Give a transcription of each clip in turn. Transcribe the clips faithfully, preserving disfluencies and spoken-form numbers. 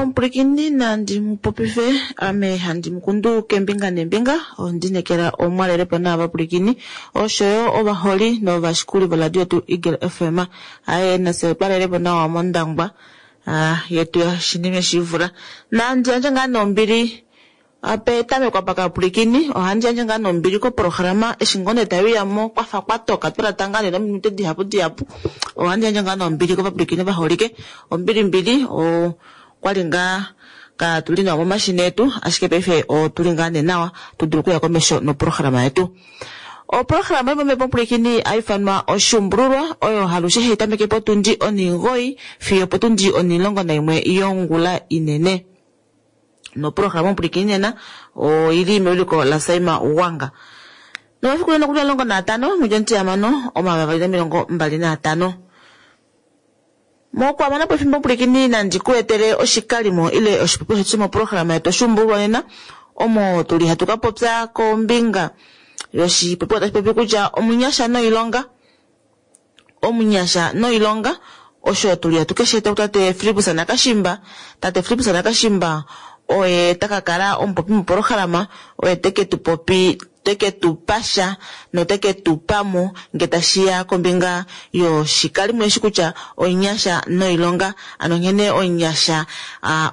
Omupulikini nandi mupopife ame handi mukundu kembinga nembinga ondinekela omwalelepo naavapulikini oshoyo ovaholi novashikuli voradio tu Eagle F M aye nase otwalelepo nawa mondangwa yetu yashinime shivula nandi yandje ngaa nombili apetamekwa pakapulikini ohandi yandje ngaa nombili koprograma eshi ngoo tayuyamo kwafa kwatoka twalata ngaa nominute dihapu dihapu ohandi yandje ngaa nombili kovapulikini vaholike ombili mbili o kwali ngaa ka tuli nawa momashina etu ashike paife otuli ngaa nee nawa tudulu okuya komesho noprograma yetu. Oprograma yomomhepo omupulikini haifanwa oshuumbululwa oyo halushe hai tameke potundi onhingoyi fiyo potundi onhilongo naimwe yongula inene. Noprograma omupulikini nena oili mewiliko la Saima Wanga. Nomafiku leno kuli omulongo naatano mwedhi omutihamano omayovi avali nomilongo mbali naatano. Mokuhamana po efimbo omupulikini nandi ku etele oshikalimo ile oshipopiwa shetu shomoprograma yetu oshuumbululwa nena omo tuli hatu ka popya kombinga yoshipopiwa tashi popi kutya omunyasha noilonga omunyasha noilonga osho tuli hatu keshe tate Philipus Nakashimba tate Philipus Nakashimba oye takakala omupopi moprograma oye teke tu popi teke tu pasha noteke tu pamo nge tashiya kombinga yoshikalimo eshi kutya onyasha noilonga ano nghene onyasha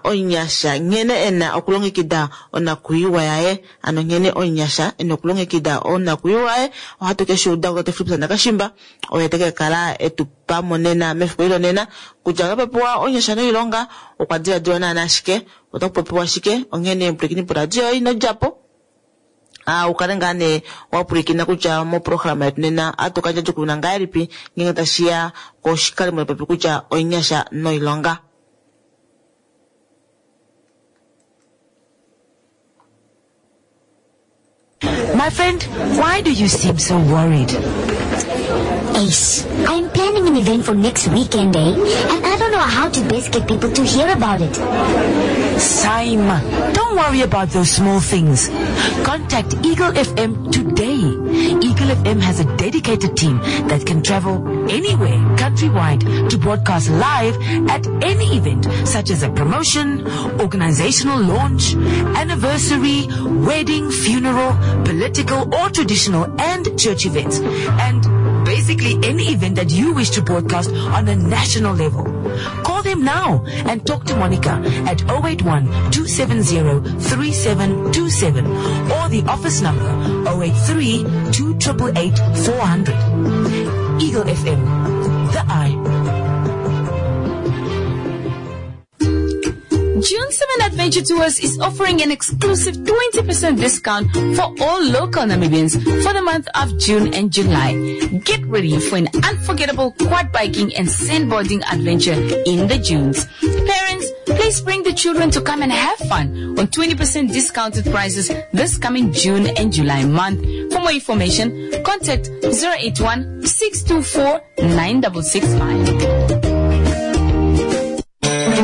onyasha nghene ena okulongekida onakuyiwa yaye ano nghene onyasha ena okulongekida onakuyiwa yaye ohatu keshe uda tate Philipus Nakashimba oye teke kala etu pamo nena mefiku ilo nena kutya otapopiwa onyasha noilonga okwa diladilwa naana ashike otakupopiwa shike onghene mupulikini poradio inodjapo ah ukale ngaa nee wapulikina kutya moprograma yetu nena atukandja djokuna ngahelipi ngenge tashiya koshikalimo popi kutya onyasha noilonga. My friend, why do you seem so worried? Ace, I'm planning an event for next weekend, eh? And I don't know how to best get people to hear about it. Saima, don't worry about those small things. Contact Eagle F M today. Eagle F M has a dedicated team that can travel anywhere, countrywide, to broadcast live at any event, such as a promotion, organizational launch, anniversary, wedding, funeral, political or traditional and church events, and basically any event that you wish to broadcast on a national level. Call them now and talk to Monica at oh eight one, two seven zero, three seven two seven or the office number oh eight three, two triple eight, four hundred. Eagle F M, the eye. June seven Adventure Tours is offering an exclusive twenty percent discount for all local Namibians for the month of June and July. Get ready for an unforgettable quad biking and sandboarding adventure in the dunes. Parents, please bring the children to come and have fun on twenty percent discounted prices this coming June and July month. For more information, contact zero eight one, six two four, nine six six five.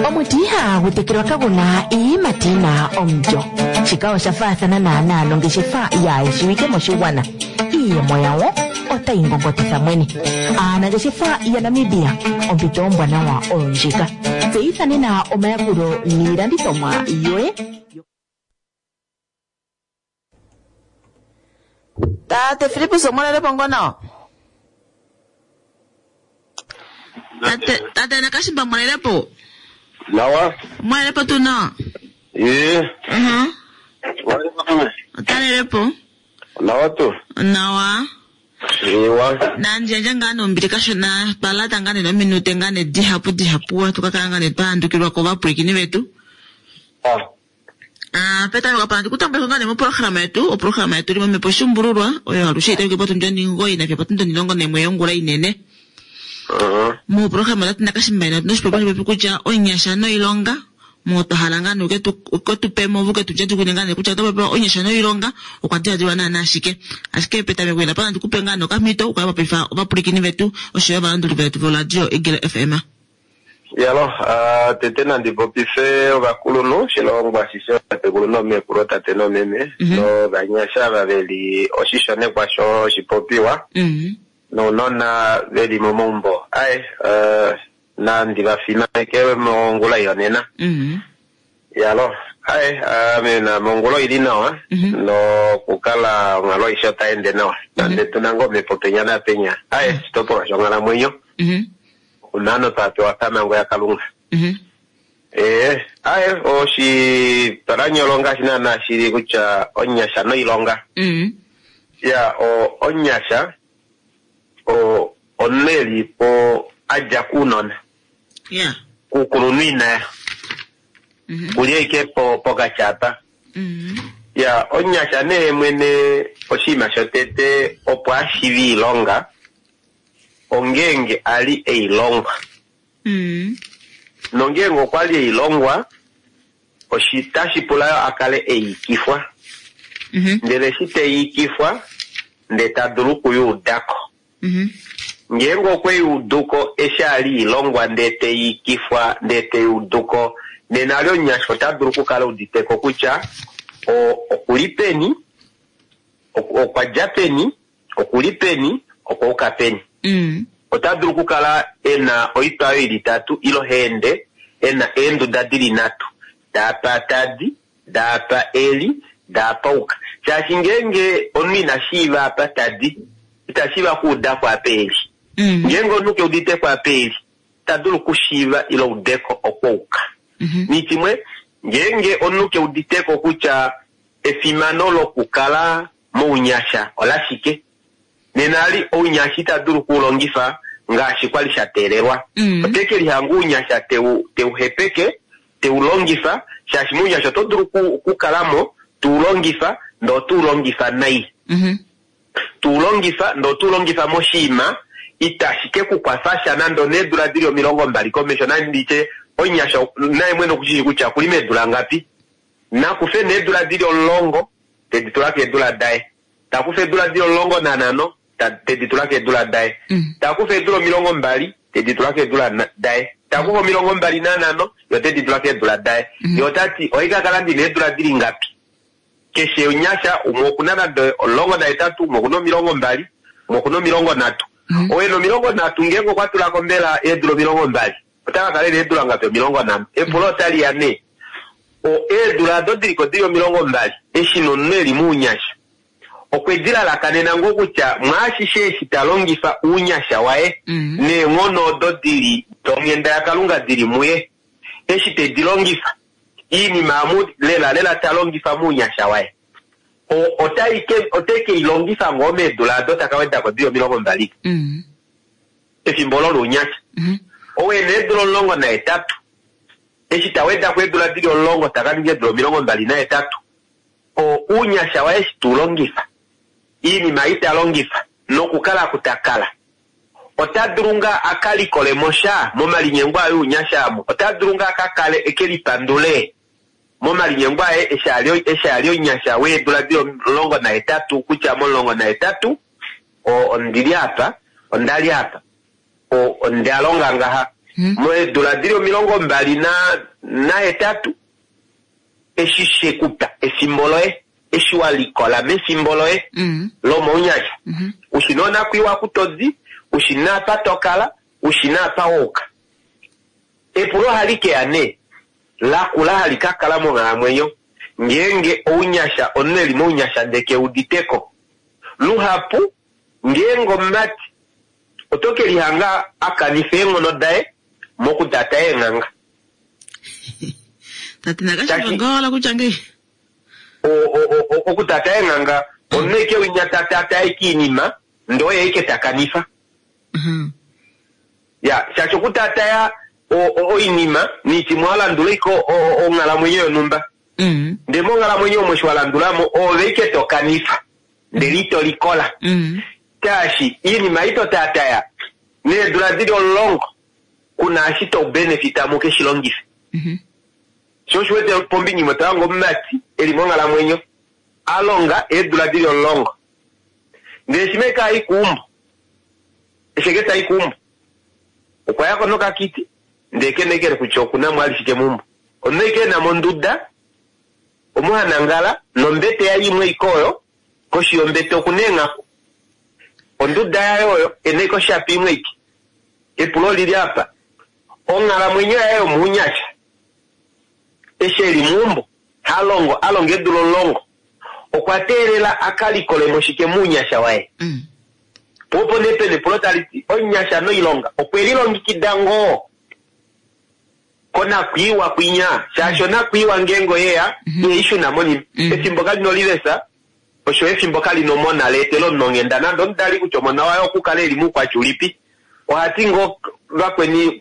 Omuti ihagu tekelwa kaguna iiyimati yina omulyo. Shika osha faathana naanaa nongeshefa yaayeshiwike moshigwana. Iiyemo yawo otayi ngongotitha mwene. Aanangeshefa yaNamibia, ompito ombwanawa oyo ndjika. Tseyitha nena omayakulo niilandithomwa yoye. Tate Philipus omwalelepo ngono? Tate, tate Nakashimba mwalelepo? Nawa. Mwalelepo tu nawa? Ee. Uh-huh. Mwalelepo tu. Otalelepo? Nawa tu. Nawa. Ewa. Nandjandja ngaa nombili kashona twalata ngaa nominute ngaa dihapu dihapu tukakala ngaa twaandukilwa kovapwilikini vetu. Ah. Ah, petameko apa ndikutambuleko ngaa moprograma yetu, oprograma yetu limwe mepo shumbululwa oyo alushe itameke potundi onhingoyi nafiyo potundi onhilongo naimwe yongula inene. Uh-huh. Moprograma tate Nakashimba ina noshipopiwa shipopi kutya onyasha noilonga mo twahala ngaa nee uke tu pe mo uke tu djadjukune ngaa nee kutya oto popiwa onyasha noilonga okwa diladilwa naana ashike. Ashike petameko ina pana ndikupe ngaa nee okamhito ukale wapopifa ovapwilikini vetu oshoyo ovalanduli vetu voradio Eagle F M. Yalo, uh, tete nandi popife ovakulunhu shilongo ashishe otatekulu nomeekulu otate nomeme mm-hmm. novanyasha ava veli oshishonekwa shoshipopiwa mm-hmm. nounona veli momaumbo. Aye, uh, nandi vafimaneke mongula yonena. Mm-hmm. Yalo, aye, ame na mongolo ili nawa nokukala onghalo aishe otai ende nawa. Nande tuna ngoo omhepo penya napenya. Aye, oshitopolwa shonghalamwenyo. Mhm. Unano twa pewa pamhango yaKalunga. Mhm. Ee, aye, oshipalanyolo ngaashi naana shili kutya onyasha noilonga. Mhm. Ya, o onyasha o omunhu eli po adja kuunona. Ya. Kuukulunhu inaya. Mhm. Kuli ashike po pokati apa. Mhm. Ya, onyasha nee mwene oshinima shotete opo ashiive iilonga ongeenge ali eilongwa. Mhm. Nongeenge okwali eilongwa oshitashi pula yo akale eikifwa. Mhm. Ndele eshi teiikifwa ndee tadulu okuyuudako. Mhm. Ngeenge okweyuuduko eshi ali ilongwa ndee teiikifwa ndee teyuuduko nena ali omunyasha ota dulu okukala uditeko kutya o- okuli peni, ok- okwa dja peni, okuli peni, okwa uka peni. Mhm. Ota dulu okukala ena oitwa oyo ili itatu ilo heende ena eenduda dili nhatu daapa tadi, daapa eli, daapa uka. Shaashi ngeenge omunhu ina shiiva apa tadi, ita shiiva okuudako apa eli. Mhm. Ngeenge omunhu keuditeko apa eli, ita dulu okushiiva ile udeko okwouka. Mhm. Nichimwe, ngeenge omunhu keuditeko kutya efimano lokukala mounyasha olashike, nena ali ounyasha ita dulu okuulongifa ngaashi kwali sha teelelwa. Mm. Ote ke lihanga ounyasha teu teu hepeke, teu longifa, shaashi mounyasha oto dulu oku- okukalamo, tuu longifa, ndee otuu longifa nai. Mhm. Tuu longifa, ndee otuu longifa moshiima, itashi ke kukwafa sha nande oneedula dili omilongo mbali komesho, nanditye omunyasha naye mwene okushishi kutya okuli meedula ngapi. Nakufe needula dili omulongo, tedi tula keedula daye. Takufa eedula dili omulongo nanhano, ta- tedi tula keedula daye. Mm. Takufa eedula omilongo mbali, tedi tula keedula na- daye. Takufa omilongo mbali nanhano, yo tedi tula keedula daye. Mhm. Ye otati, oikakala ndina eedula dili ngapi? Keshe omunyasha, umwe okuna nande omulongo nahetatu, umwe okuna omilongo mbali, umwe okuna omilongo nhatu. Mhm. Oye omilongo nhatu ngeenge okwa tulako mbela eedula omilongo mbali, ota ka kala ena eedula ngapi omilongo nhano. Epulo otali ya nee, o eedula ado diliko dili omilongo mbali, eshi nomunhu eli mounyasha, okwe di lalakanena ngoo kutya mwaashishe eshi ta longifa ounyasha waye, Mhm. neenghono odo dili donghenda yaKalunga dili muye, eshi tedi longifa, iinima amu lela lela ta longifa mounyasha waye, o- otai ke ote ke i longifa ngoo meedula ado taka wedako dili omilongo mbali Mhm. efimbo olo lounyasha. Mhm. Owena eedula omulongo nahetatu, eshi ta wedako eedula dili omulongo taka ninga eedula omilongo mbali nahetatu, o ounyasha waye eshi teulongifa, iinima ei ta longifa nokukala kutakala, ota dulu ngaa aka likolemo sha momalinyengo aye ounyasha amo, ota dulu ngaa aka kale eke lipandule momalinyengo aye eshi ali eshi ali omunyasha weedula dili omulongo nahetatu kutya momulongo nahetatu o- ondili apa, ondali apa, o- onda longa ngaha. Mhm. Moedula dili omilongo mbali na nahetatu eshi shekupa efimbo loye, eshi wa likola mefimbo loye Mhm. lomounyasha, Mhm. ushina onakwiiwa kutodi, ushina apa tokala, ushina apa wouka. Epulo ohali keya nee, lakula hali ka kala monghalamwenyo, ngeenge ounyasha, omunhu eli mounyasha ndee keuditeko. Luhapu, ngeenge omumati, oto ke lihanga akanifa eenghono daye mokutata eenghanga. Tate nakashiva Tashi- ngoo wala kutya ngei. O- o- o- o- okutata eenghanga, omunhu eke winya tatata eke iinima, ndee oye eke takanifa. Mhm. Ya, shaashi okutataya o- o- oinima niitimwe walandula iko o- o- onghalamwenyo yonhumba. Mhm. Ndee monghalamwenyo omo eshi walandulamo, oove ike tokanifa, ndele ito likola. Mhm. Shaashi iinima ito tataya, needula dili omulongo, kuna eshi to benefita mo keshi longife. Mhm. Sho osho wete pombinga imwe tohange omumati eli monghalamwenyo, alonga eedula dili omulongo. Ndele shimwe kai kuumbo, esheke tai kuumbo, okwa yako nokakiti, ndee kenekele kutya okuna mo alishike meumbo. Omunhu ike ena monduda, omo hanangala, nombete yaye imwe ike oyo, koshi yombete okuna eenghaku. Onduda yaye oyo, ena ike oshapi imwe ike. Epulo olili apa, onghalamwenyo yaye yomounyasha, eshi eli meumbo ha longo a longa eedula omulongo okwa teelela a ka likolemo shike mounyasha waye Mm. po opo nee pena epulo tali ti omunyasha noilonga okwe lilongekida ngoo konakwiiwa kwinya shaashi onakwiiwa ngeenge oyeya ihaishuna monima efimbo kali nolivesa osho efimbo kali nomona leetela omunhu onghenda nande omudali kutya omona waye okukala eli muukwatya ulipi ohati ngoo vakweni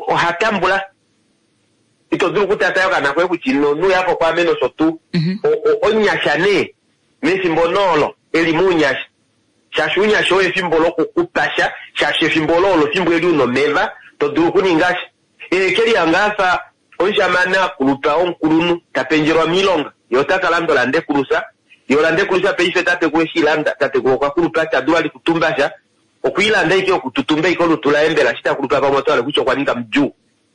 oha tambula ito dulu okutata okana koye kutya ino nuyapo kwaame nosho tuu O- o- omunyasha nee mefimbo noolo eli mounyasha shaashi ounyasha oyo efimbo lokukupasha shaashi efimbo olo olo efimbo eli una omeva to dulu okuninga sha ekeliya afa omushamane akulupa omukulunhu tapendjelwa miilonga ye ota ka landa olandekulusa ye olandekulusa paife tatekulu eshi ilanda tatekulu okwa kulupa tadulu ali kutumba sha okwiilanda ike okututumba ike olutu laye mbela shi takulupa pamwe otwale kutya okwa ninga mudjuu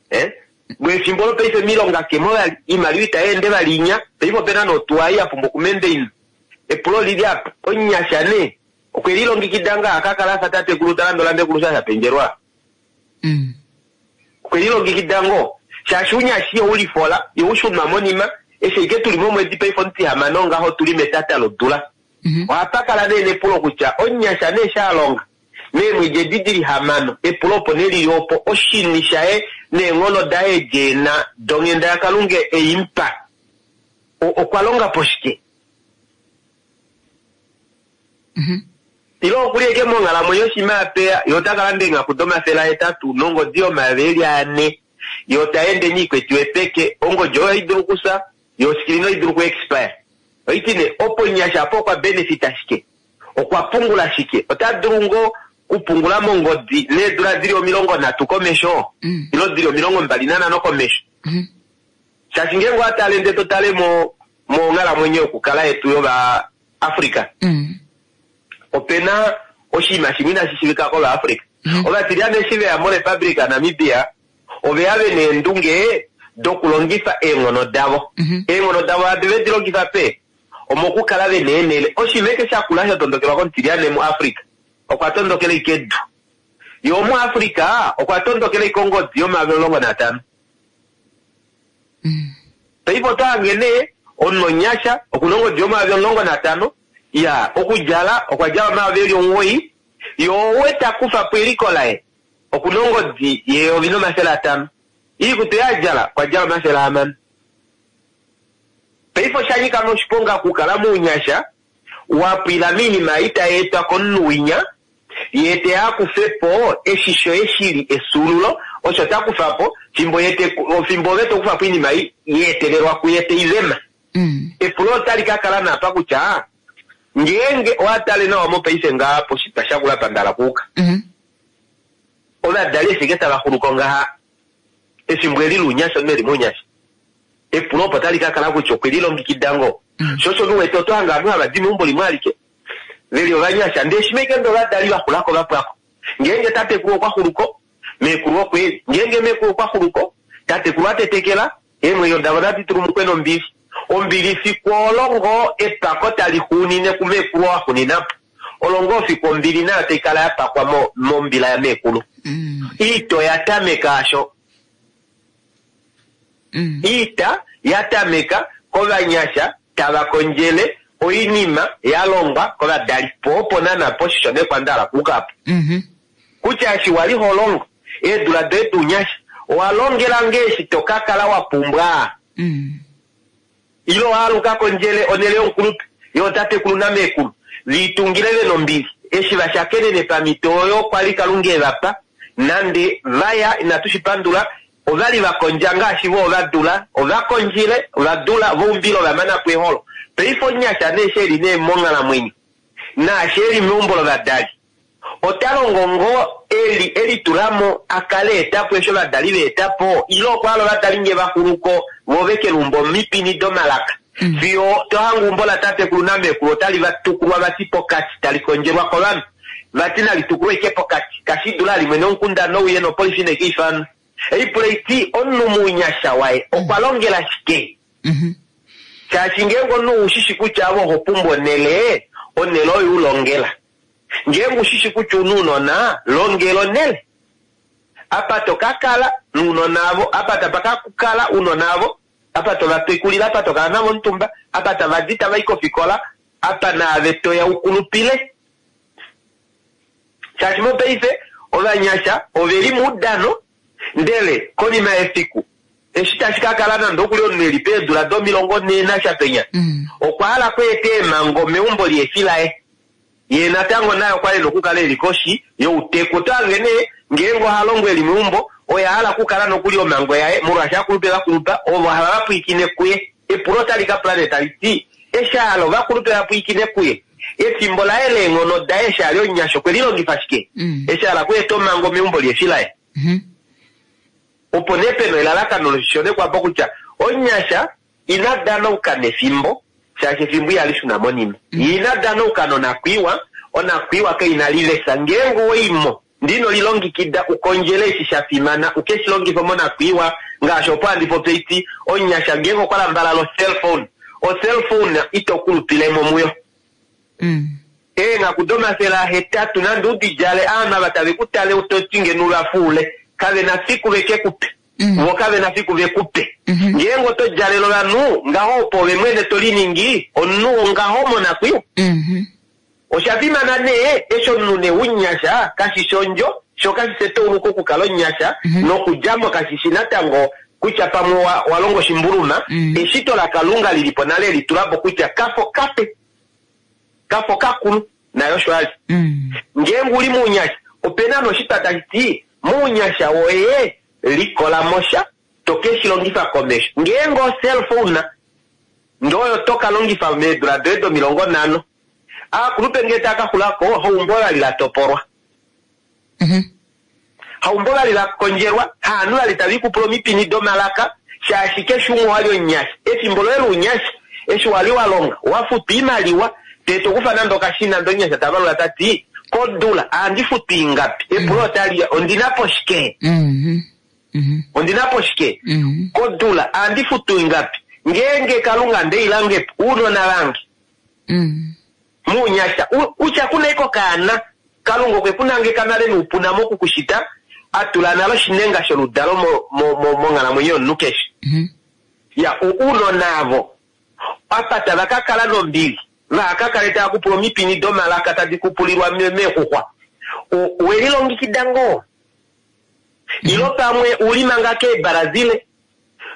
eh? lwefimbo olo paife miilonga kemo vali iimaliwa itayeende vali inya paife opena notuwa ei yapumbwa okumendeina epulo lili apa omunyasha nee okwe lilongekida ngaa akakala afa tatekulu talanda olandekulusa shapendjelwa Mm. okwe lilongekida ngoo shaashi unyashi ihoulifola ihoushunwa monima eshi ike tuli momwedi paife omutihamano ngaho tuli metata lodula Mhm. ohapa kala nee nepulo kutya omunyasha nee shalonga meemwedi edi dili hamano epulo opo nelili opo oshini shaye neenghono daye jeena donghenda yakalunga eimupa O- okwa longa po shike Mhm. ilo okuli eke monghalamwenyo shima apeya ye ota kalanda eenghaku domafele ahetatu nongodi yomayovi eli ane ye ota ende niikwetiwe peke ongodi oyo ohaidulu okusa yo oskilina oidulu ku expire oiti ne opo nyasha apo okwa benefita shike okwa pungula shike ota dulu ngoo kupungula mongodi needula dili omilongo nhatu komesho Mm. ilo dili omilongo mbali nanhano komesho Mhm. shaashi ngeenge owatale nde totale mo monghalamwenyo yokukala yetu yovaafrica Mm. opena oshinima shimwe inashi shiivika kovaafrica Mhm. ovatiliyane eshi veya morepublica namibia oveya vena eendunge dokulongifa eenghono davo Mhm. eenghono davo hadi vedi longifa pe omokukala vena eenhele oshinima eke shakula sha tondokelwa komutiliyane muafrica okwa tondokela ike edu ye omuafrica okwa tondokela ike ongodi yomayovi omulongo natano Mm. paife oto hange nee omunhu onyasha okuna ongodi yomayovi omulongo natano ya okudjala okwa djala omayovi eli omugoyi ye owe takufa po eliko laye okuna ongodi yeyovi nomafele atano iikutu yadjala okwa djala omafele ahamano paife oshanyika noshiponga okukala mounyasha wapwila miinima itayi etwa komunhu winya ye te akufe po eshi shoye shili esuululo osho takufa po fimbo ye te- fimbo ove tokufa po iinima i- yeetelelwa kuye teivema Mm. epulo otali ka kala napa kutya ngeenge owatale nawa mopaife ngaa poshitwa shakula pandala kuuka Mhm. ovadali efike tava xuluko ngaha efimbo eli luunyasha omunhu eli mounyasha epulo opo tali ka kala kutya okwe lilongekida ngoo Mm. sho osho nuwete oto hanga ovanhu hava di meumbo limwe alike veli ovanyasha ndee shimeke nde ovadali vaxulako vapwako ngeenge tatekulu okwa xuluko meekulu okweli ngeenge meekulu okwa xuluko tatekulu atetekela eemwenyo davo nadi tulumukwe nombili ombili fiku olo ngoo epako tali xuunine kumeekulu oo axuninapo olo ngoo fiku ombili nayo tai kala yapakwa mo- mombila yameekulu Mm. iita oya tameka asho Mm. iita ya tameka kovanyasha tava kondjele oinima ya longwa kovadali po opo nana poshisho nekwandala kukapo Mhm. kutya eshi wali ho longo eedula doye duunyasha owa longela ngee eshi to ka kala wa pumbwa Mm. ilo waaluka kondjele onele yomukulupe yotatekulu nameekulu viitungile vena ombili eshi vashakenene pamito oyo kwali kalunga evapa nande vaya inatu shi pandula ovali vakondja ngaashi vo ovadula ovakondjile ovadula voumbile ovamanapo eholo paife onyasha nee shi eli nee monghalamwenyo naashi eli meumbo lovadali ota longo ngoo eli elitulamo akale etapo esho ovadali veetapo ile okwaala ovadali nge vaxuluko vo vekelumba omipini domalaka Mm. fiyo tohanga umbo latatekulu namekulu otali vatukulwa vati pokati tali kondjelwa kovanhu vati nali tukulwe ike pokati kashidula limwe nomukunda nouye nopolifi nekeifanwa eipula iti omunhu muunyasha waye okwa longela shike Mhm. shaashi ngeenge omunhu ushishi kutya avo oho pumbwa onele onele oyo ulongela ngeenge ushishi kutya una uunona longela onele apa to ka kala nuunona avo apa tapa ka kala uunona avo Apa to va tekulile, apa to kala navo omutumba, apa tava di tava i kofikola, apa naave toya ukulupile. Shaashi mopaife ovanyasha oveli muudano, ndele konima yefiku eshi tashi ka kala nande okuli omunhu eli peedula domilongo nhee nashapenya Mm. okwa hala kweeta eemhango meumbo liefi laye, ye natango naye okwa li nokukala eli koshi youteku. Oto hange nee ngeenge oha longo eli meumbo, oye a hala okukala nokuli omhango yaye, molwaashi akulupe vakulupa ovo hava vapwiikine kuye. Epulo otali ka pula nee tali ti, eshi a hala ovakulupe vapwiikine kuye, efimbo laye leenghono daye eshi ali omunyasha okwe lilongifa shike? Mm. Eshi a hala okweeta omhango meumbo liefi laye. Mhm. Opo nee pena elalakano loshishonekwapo kutya omunyasha ina danauka nefimbo, shaashi efimbo ihali shuna monima. Ina danauka nonakwiiwa, onakwiiwa kaina lilesa. Ngeenge owaimo ndino lilongekida ukondjele eshi sha fimana, uke shi longife monakwiiwa. Ngaashi opo handi popi iti, omunyasha ngeenge okwa lambalala ocellphone, ocellphone ito kulupilemo muyo. Mm. Eenghaku domafele ahetatu nande udidjale, aanhu ava tave ku tale utoti ngeno uvafuule, kave na fiku veke kupe. Mm. Vo kave na fiku vekupe. Mhm. Ngeenge oto djalele ovanhu ngaho, opo ove mwene to liningi omunhu wongaho monakwiiwa. Mhm. Osha fimana nee eshi omunhu nee unyasha kashi shi ondjo, sho kashi shi etauluko okukala omunyasha, Mhm. nokudjamo kashi shi natango kutya pamwe wa, wa longa oshimbuluma. Mhm. Eshito laKalunga lilipo nale litulapo kutya kafo kape, kafo kakulu, nayo osho ali. Mm. Ngeenge uli muunyasha, opena noshitwa tashi ti muunyasha woye likola mosha to ke shi longifa komesho. Ngeenge ocellphone ndoyo to ka longifa meedula doye domilongo nhano, aakulupe ngee taa ka xulako, haumbo vali la topolwa, Mhm. haumbo vali la kondjelwa, haanhu vali tava ikupula omipini domalaka, shaashi keshe umwe wali omunyasha. Efimbo loye lounyasha eshi wali wa longa, wa futwa oimaliwa, ndee tokufa nande okashina, ndee omunyasha ta valula ta ti kodula ohandi futu ingapi? Epulo otali ya, ondina po shike? Mhm. Mhm. Ondina po shike? Mhm. Kodula ohandi futu ingapi? Ngeenge Kalunga ndeilangepo uunona vange Mm. muunyasha, u- utya kuna iko kaana, Kalunga okwe ku nangeka nale noupuna mokukushita, atula nale oshinenga sholudalo mo- mo- mo- monghalamwenyo yomunhu keshe. Mhm. Ya, u- uunona avo apa tava ka kala nombili, vaha kale tava kupula omipini domalaka tadi kupulilwa me- meexuxwa. U- welilongekida ngoo? Ilo pamwe uli manga keeBrazil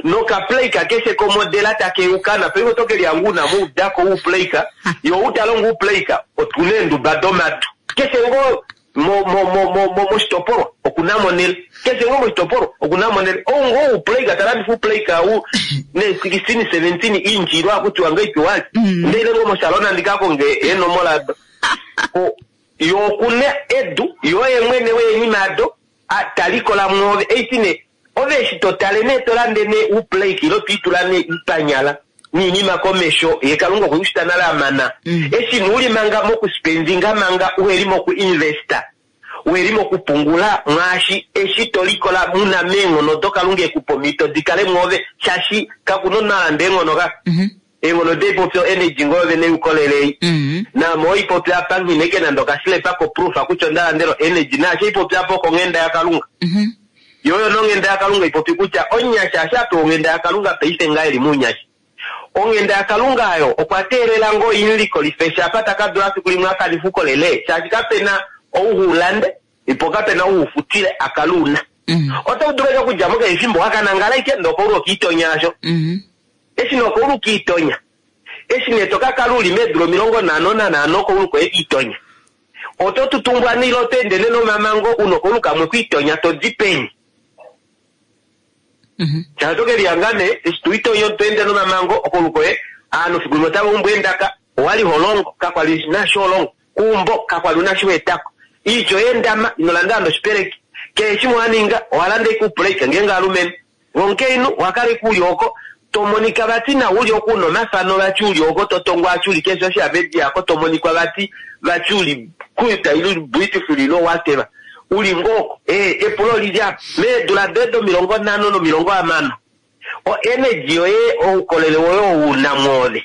nokaplayka keshe komodela takeukana paife oto ke lihangu una muudako uplayka, yo utalongo uplayka otuna eenduba domadu keshe ngoo mo- mo- mo- mo- mo- moshitopolwa okuna monele, keshe ngoo moshitopolwa okuna monele ou ngoo uplayka talandifa uplayka u ne sixteen seventeen inch ilo akutiwa ngaipiwali Mm. ndeile ngoo moshalona ndikakonge eenomola do. Ko- yo okuna edu yo ye mwene weenima ado a- talikola mwoove eitine ove eshi totale nee tolande nee uplake ilo twiitula nee ipanyala niinima komesho ye Kalunga okwe kushita nale amana. Mm. Eshi nuuli manga mokuspendinga manga uheli mokuinvesta, uheli mokupungula mwaashi eshi tolikola muna meenghono doKalunga ekupa omhito dikale mwoove, shaashi kakuna omunhu alanda eenghono ka. Mhm. Eenghono deipopyo energy ngoo vene yukolelei. Mhm. Naame oipopya apa nghineke nande okasilepa koproof kutya onda landela energy, naashi oipopya apa okonghenda yaKalunga. Mhm. Yoyo nonghenda yaKalunga ipopi kutya omunyasha asha apewa onghenda yaKalunga paife ngaa eli muunyasha. Onghenda yaKalunga ayo okwa teelela ngoo imulikolife shapa taka dula fiku limwe akanife ukolele, shaashi kapena ou ulande ipo kapena ou ufutile akaluuna. Mm. Oto dulu eke okudjamo keshe efimbo wakanangala ike ndee okoulu okiitonya asho. Mhm. Eshi nee okoulu kiitonya, eshi nee to kakala uli meedula omilongo nhano nanhano okoulu koye kiitonya, oto tutumbwa nile oto ende nee nomamango una okoulu kamwe kwiitonya to di peni. Mhm. Shaashi oto kelihanga nee eshi toitonya to ende nomamango okoulu koye, aanhu fiku limwe otava umbu eendaka, owali ho longo kakwali nasho holongo, kuumbo kakwali una shi weetako, iitya oyeendama ino landa nande oshipeleki, keshe shimwe waninga owalanda ike upulake ngeenge alumenhu vomukainhu owakala ike uli oko tomonika vati nawa uli oko una omafano vati uli oko totongwa vati uli keshe social media ako tomonikwa vati vati uli kuita ili beautiful ilo whatever uli ngoko. Eh, epulo lili apa meedula doye domilongo nhano nomilongo hamano o energy yoye oukolele woye ouna mwoove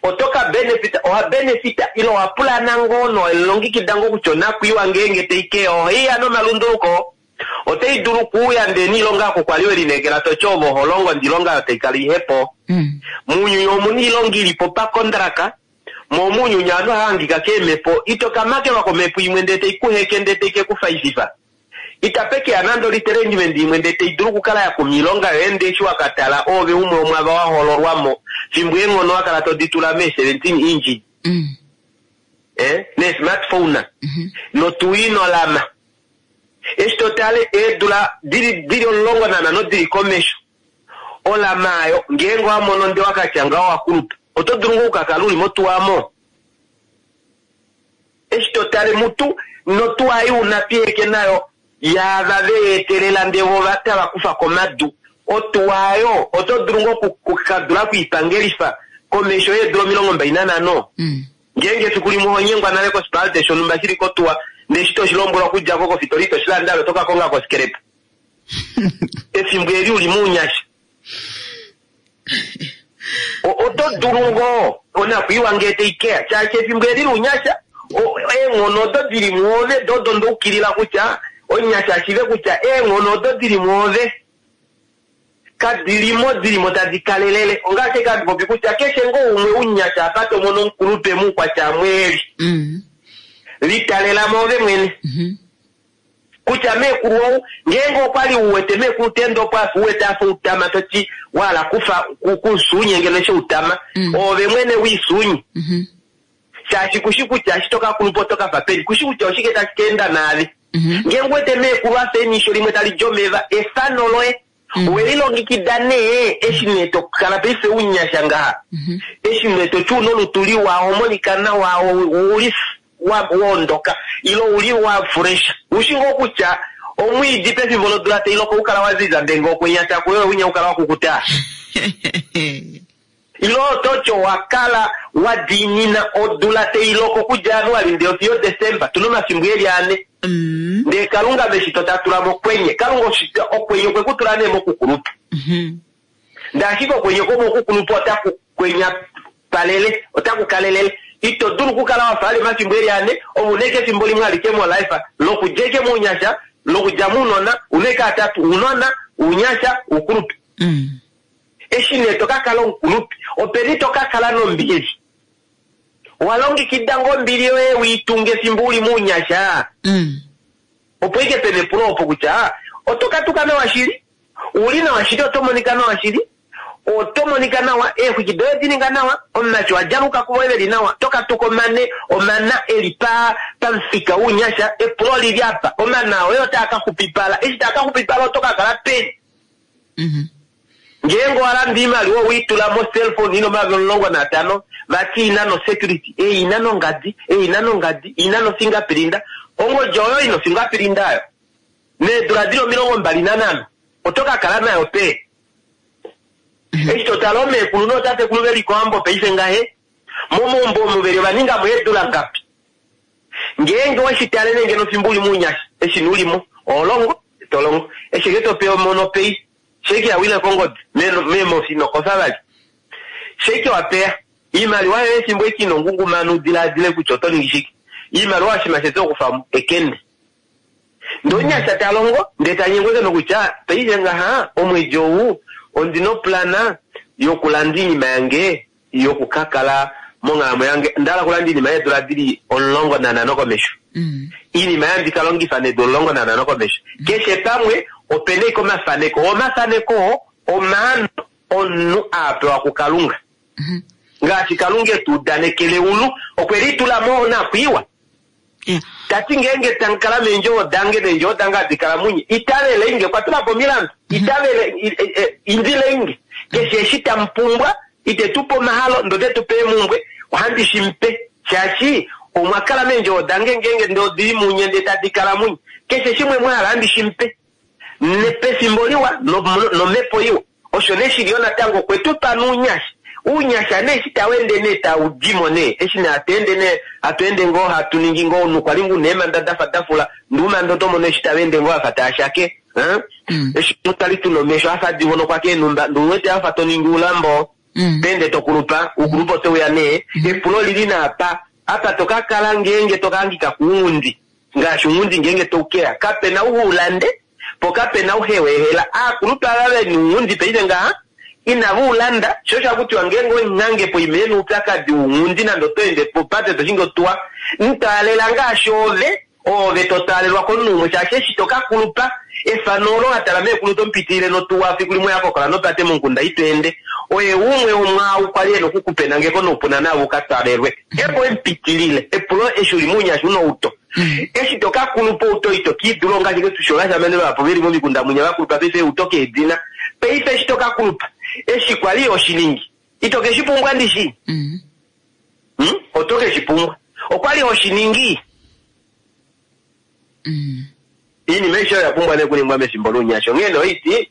oto ka benefita, owa benefita ilo owa pulana ngoo nowelilongekida ngoo kutya onakwiiwa ngeenge taikeya oiya nomalunduluko. Otai dulu kuuya ndee niilonga yako kwali we lineekela toti ove oho longo ndee iilonga oyo tai kala ihepo. Mm. Muunyuni omuna iilonga ilipo pakondraka, mo muunyuni aanhu ohava hangika keemhepo, ito ka makelwa komhepo imwe ndee tai kuheke ndee tai ke ku faififa. Itape keya nande oliterengimende imwe ndee tai dulu okukala ya kuma iilonga yoye ndee eshi wakatala oove umwe womwaava wa hololwamo fimbo eenghono wakala todi tula mee seventeen inch Mm. eh, nee smartphone Mhm. notuinolama. Eshi totale eedula dili dili omulongo nanhano dili komesho olama ayo ngeenge wamono nde wakatya ngaho wakulupa oto dulu ngoo okukakala uli motuwamo. Eshi totale mutu notuwa ei una piheke nayo yaava veetelela ndee vo tava kufa komadu otuwa ayo oto dulu ngoo okukadula okwiipangelifa komesho yeedula omilongo mbali nanhano. Mm. Ngeenge efiku limwe oho nyengwa nale kosipalate shonhumba shili kotuwa ndee eshi toshilombwelwa okudja ko kofitori itoshilanda ove oto ka konga kosikerepa. Efimbo eli uli mounyasha. Oto dulu ngoo onakwiiwa ngee taikeya shaashi efimbo eli lounyasha eenghono odo dili mwoove do odo ndoukilila kutya omunyasha ashiive kutya eenghono odo dili mwoove kadilimo dilimo tadi kalelele. Ongaashi ashike handi popi kutya keshe ngoo umwe umunyasha apa tomono omukulupe muukwatya mweeli Mm. litalela moove mwene. Mhm. Kutya meekulu ou ngeenge okwali uwete meekulu teende opo afa uwete afa utama toti wahala kufa kusunye ngeno eshi utama Mm. oove mwene wiisunye. Mhm. Shaashi kushi kutya eshi tokakulupa oto kafa peni, kushi kutya oshike tashi ka enda naave. Mhm. Ngeenge uwete meekulu afa enisho limwe tali di omeva efano loye Mm. welilongekida nee eshi nee tokala paife unyasha ngaha. Mhm. Eshi nee toti una olutu liwa oho monika nawa uli waondoka ilo uli wa fresh. Ushi ngoo kutya omwiidi pefimbo lodula tailoko ukala waziza ndee ngee okwenya takuyo winya ukala wakukuta. Ilo ototi owakala wadiinina odula tailoko okudja January ndee fiyo December tuna omafimbo eli ane. Mm. Ndee Kalunga meshito tatula mokwenye. Kalunga okwenye okwe kutula nee mokukulupa. Mhm. Ndee ashike okwenye kwomokukulupa otaku kwenya palele, otaku kalelele. Ito dulu okukala wafa ali omafimbo eli ane, ove una ashike efimbo limwe alike molife lokudja ashike mounyasha, lokudja mounona, una ashike atatu, ounona, ounyasha, oukulupe. Mm. Eshi nee tokakala omukulupe, openi tokakala nombili? Owalongekida ngoo ombili yoye wiitunge efimbo uli mounyasha? Mm. Opo ike pena epulo opo kutya oto katuka nawa shili, uli nawa shili, oto monika nawa shili, oto monika nawa, eexwiki doye odi ninga nawa, omumati wa djaluka kuvo veli nawa, to katuka omane, omana eli pa pamufika wounyasha, epulo lili apa, omana oye otaa ka xupipala, eshi taa ka xupipala oto ka kala peni? Mhm. Ngeenge owalanda iimaliwa owiitula mo cellphone ina omayovi omulongo natano, vati ina no security, ei ina nongadi, ei ina nongadi, ina no fingerprint, ongodi oyo ino fingerprint ayo. Needula dili omilongo mbali nanhano, oto ka kala nayo pee. Eshi totala omeekulu nootatekulu veli kohambo paife ngahe, momaumbo omu veli ovaningamo eedula ngapi? Ngeenge weshi tale nee ngeno fimbo uli mounyasha, eshi nee ulimo, oholongo, tolongo, eshi ke topewa omonopei, sheke yawile kongodi, meemofi nokofa vali. Sheke wapeya, iimaliwa yoye efimbo eki ino ngungumana udilaadile kutya oto ningi shike. Iimaliwa oshinima shete okufa ekende. Ndee omunyasha talongo, ndee tanyengwa nokutya, paife ngaha, omwedi ou, ondina oplana yokulanda iinima yange yokukakala monghalamwenyo yange. Ondahala okulanda iinima yeedula dili omulongo nanhano komesho. Mm. Iinima yandi kalongifa needula omulongo nanhano komesho. Keshe pamwe opena ashike omafaneko. Omafaneko oo omaano omunhu aapewa kuKalunga. Mhm. Ngaashi Kalunga etu udanekele eulu, okwe litula mo onakwiiwa. Yeah. Tati ngeenge tamukala meendjovo dange neendjovo dange hadi kala munye, itavele inge, okwa tula po omilandu, itavele, indile inge. Keshe eshi tamupumbwa, ite tupe omahalo, ndee ote tupe eemumbwe, ohandi shimupe. Shaashi omwa kala meendjovo dange ngeenge ndee odili munye ndee tadi kala munye. Keshe shimwe mwahala ohandi shimupe. Nepefimbo liwa, nomhepo iwa. Osho nee shili yo natango okwe tupa nounyasha. Uunyasha nee eshi tawende nee taudimo nee, eshi nee hatu nee, hatu ende ngoo hatu ningi ngoo nukwali ngu neemanda dafa dafula, nduumanda oto mono eshi tawende ngoo afa taashake. Mm. Eshi twali tuna omesho afa adivonokwa keenhumba, nduwete afa toningi uulambo, Mm. pende tokulupa, ukulupa oteuya nee, epulo lili naapa, apa tokakala ngeenge tokahangika kuunghundi, ngaashi unghundi ngeenge toukeya, kapena ou ulande, Po kapena uhewehela aakulupe ava vena ounghundi paife ngaha inava ulanda sho osho hakutiwa ngeenge omunhange poima ena oupyakadi wounghundi nande oto ende popate toshingi otuwa mutaalela ngaashi ove ove to taalelwa komunhu umwe shaashi eshi tokakulupa efano olo watala meekulu tomupitilile notuwa fiku limwe yakokola nopate momukunda ito ende oye umwe womwaau kwali ena okukupenangeko noupuna naave ukatwalelwe ngeenge owemupitilile epulo eshi uli mounyasha una outo eshi tokakulupa outo ito kiidula ongaashi tusho ovashamane vahapu veli momikunda munya vakulupa paife outo keedina paife eshi tokakulupa eshi kwali oshiningi ito keshi pumbwa ndishi Mm. hmm? oto keshi pumbwa okwali oshiningi Mm. iinima aishe oyo yapumbwa nee okuningwa mefimbo lounyasha onghee nee oiti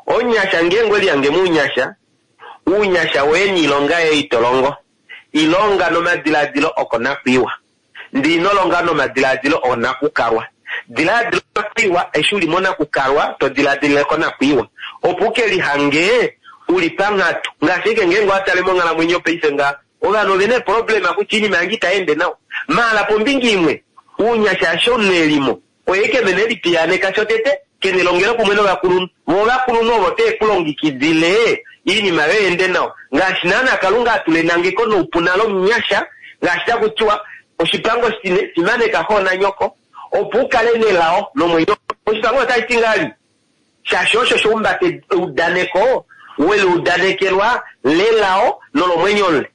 onyasha ngeenge welihange mounyasha uunyasha woye niilonga yoye itolongo ilonga nomadiladilo okonakwiiwa ndi inolonga nomadiladilo onakukalwa diladila onakwiiwa eshi uli monakukalwa to diladilile konakwiiwa opo uke lihange uli panghatu ngaashi ike ngeenge watale monghalamwenyo paife nga ovanhu ovena eproblema kutya iinima yange itaende nawa maala pombinga imwe uunyasha asho omunhu elimo oye kemene elipiyaaneka shotete kene longelo kumwe novakulunhu vo ovakulunhu ovo tee kulongekidile iinima yoye ende nawa ngaashi naana kalunga atula enangeko noupuna lomunyasha ngaashi takutiwa oshipango shine fimaneka xo nanyoko opo ukale nelao nomwenyo oshipango otashi ti ngali shaashi osho shoumbate eudaneko weliudanekelwa lelao nolomwenyo le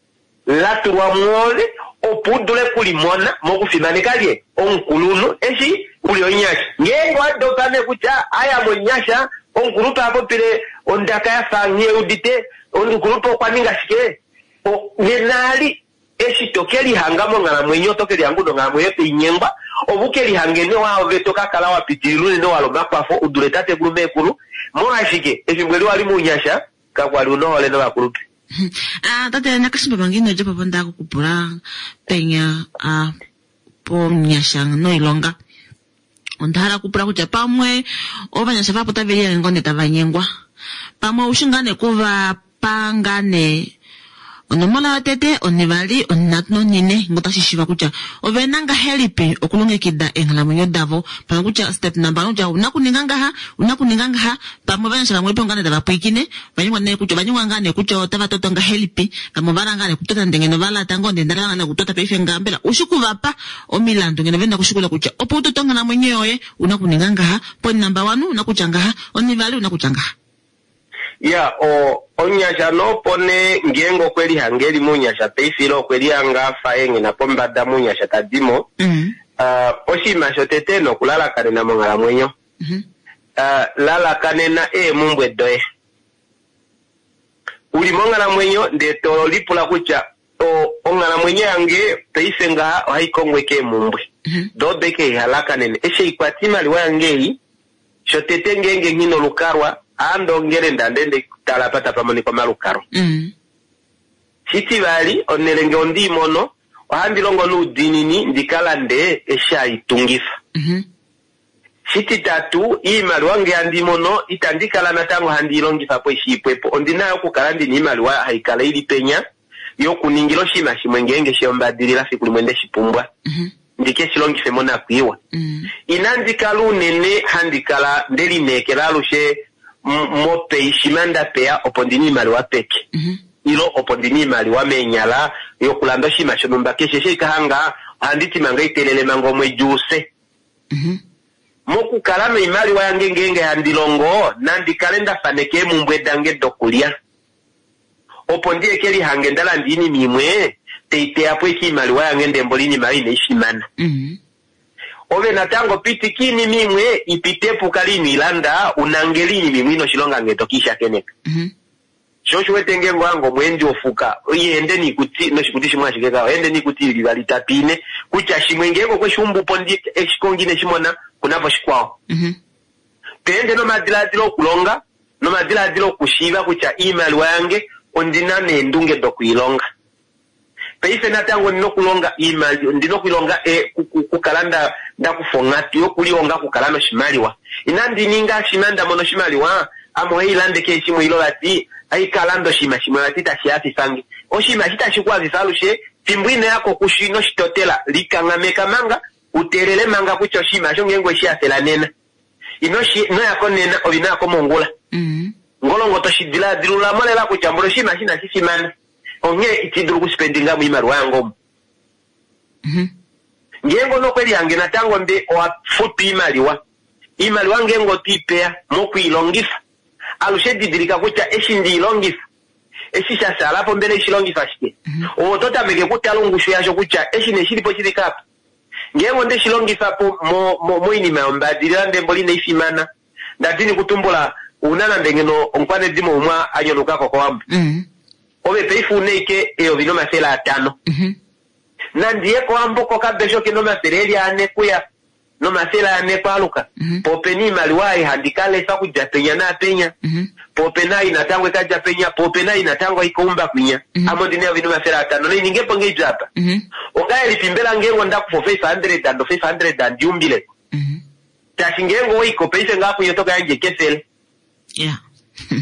la tulwa mwoove opo u dule kulimona mokufimaneka lye omukulunhu eshi uli onyasha ngeenge wadopa nee kutya aya monyasha omukulupe apopile ondaka yafa nghee udite omukulupe okwa ninga shike O- nena ali eshi tokelihanga monghalamwenyo tokelihanga una onghalamwenyo tainyengwa opo ukelihange ne waove tokakala wapitilila unene wala omakwafo udule tatekulu meekulu molwashike efimbo eli wali mounyasha kakwali una ohole novakulupe Ah, tate nakashimba manga ino dja po nda kukupula penya ah, pomunyasha noilonga onda hala okupula kutya pamwe ovanyasha vapo tave lihange ngoo nee tava nyengwa pamwe oushi ngaa nee kuvapa ngaa nee onomola yotete onivali onhinhatu nonhine ngo tashi shiva kutya ovena ngahelipi okulongekida eenghalamwenyo davo pamwe kutya step number one kutya una kuninga ngaha una kuninga ngaha pamwe ovanyasha vamwe po ngaa nee tava pwiikine vanyengwa nee kutya ovanyengwa ngaa nee kutya otava toto ngahelipi vamwe ovala ngaa nee kutota ndee ngeno valata ngoo ndee ndala ngaa nee kutota paife ngaha mbela ushi kuvapa omilandu ngeno vena kushikula kutya opo utote onghalamwenyo yoye una kuninga ngaha ponumber one una kutya ngaha onivali una kutya ngaha ya o omunyasha nopo nee ngeenge okwe lihange eli mounyasha paife ile okwe lihanga afa enghena pombada mounyasha tadimo mm. uh, oshinima shotete nokulalakanena monghalamwenyo mm -hmm. uh, lalakanena eemumbwe doye uli monghalamwenyo ndee to lipula kutya o- onghalamwenyo yange paife ngaha ohai kongwe keemumbwe Mm -hmm. doo odo ike ihalakanene eshi eikwata iimaliwa yange ei shotete ngeenge nghina olukalwa aandongele ndande ndetala apa tapa monika omalukalwa Mm. shitivali onhele nge ondiimono ohandi longo noudiinini ndikalande eshi haitungifa Mm -hmm. shititatu iimaliwa nge handi mono itandi kala natango handi ilongifa po eshi ipwepo ondina yo okukala ndina iimaliwa haikala ili penya yokuningila oshinima shimwe ngeenge sheyombadilila fiku limwe ndeshi pumbwa Mm -hmm. ndike shi longife monakwiiwa Mm. inandi kala unene handi kala ndelineekela alushe m- mopei shima ndapeya opo ndina iimaliwa peke Mm -hmm. ilo opo ndina iimaliwa meenyala yokulanda oshinima shonumba keshe sheikahanga ohandi ti manga itelele manga omwedi use Mm -hmm. mokukala noimaliwa yange ngeenge handi longo nandi kale nda faneka eemumbwe dange dokulya opo ndiye ke lihange nda landa iinima imwe teiteya po ike iimaliwa yange ndembo iinima oyo inaifimana Mm -hmm. ove natango pitika iinima imwe ipitepo ukale inoilanda unangele iinima imwe ina oshilonga ngee tokiishakeneka Mm -hmm. sho osho wete ngeenge owange omweendi wofuka iende niikuti noshikuti shimwe ashike kao ende niikuti ili ivali itatu ine kutya shimwe ngeenge okweshiumbupo ndi eshikongo ineshimona kunapo shikwao Mm -hmm. teende nomadiladilo okulonga nomadiladilo okushiiva kutya iimaliwa yange ondina neendunge dokuilonga paife natango ndina okulonga iimaliwa ndina okuilonga e, ku- ku- kukala nda ndakufa onghatu yokulihonga okukala noshimaliwa inandi ninga shima nda mona oshimaliwa ame ohailande kehe shimwe ilo vati aikalanda oshinima shimwe vati tashi hafifange oshinima eshi tashi ku hafifa alushe fimbo inoyako kusho inoshitotela likanghameka manga uteelele manga kutya oshinima osho ngeenge oweshi hafela nena Ino shi ino yako nena ove ino yako mongula. Mm. Ngolongo toshi diladilula lela kutya mboli oshinima shi inashi fimana. Onghee iti dulu okuspendinga mo iimaliwa yange omu. Mhm. Ngeenge onokweli yange natango nde owa futu iimaliwa. Iimaliwa ngeenge otwiipeya mokwiilongifa. Alushe didilika kutya eshi ndiilongifa eshi sha salapo mbela ishilongifa shike. Ove oto tameke okutala ongushu yasho kutya eshi nee shilipo shifike apa. Ngeenge onde shilongifa po mo- mo- moinima yombadilila ndee mboli inai fimana. Ndadini kutumbula una nande ngeno omukwanedimo umwe a nyonukako kowambo. Mm. Ove paife una ike eyovi nomafele atano. Mhm. Nandiye kowambo kokabesho kena omafele eli ane kuya nomafele ane kwaaluka. Mhm. Po opena iimaliwa ei handi ka lefa okudja penya naapenya. Mhm. Po opena ei natango ikadja penya, po opena ei natango ikaumba kwinya. Mhm. Ame ondina eyovi nomafele atano nainingepo ngeipi apa. Mhm. Ongahelipi mbela ngeenge ondakufa o five hundred and o five hundred andiumbileko. Mhm. Shaashi ngeenge owaiko paife ngaa kwinya oto ka yandja kefele. Yeah.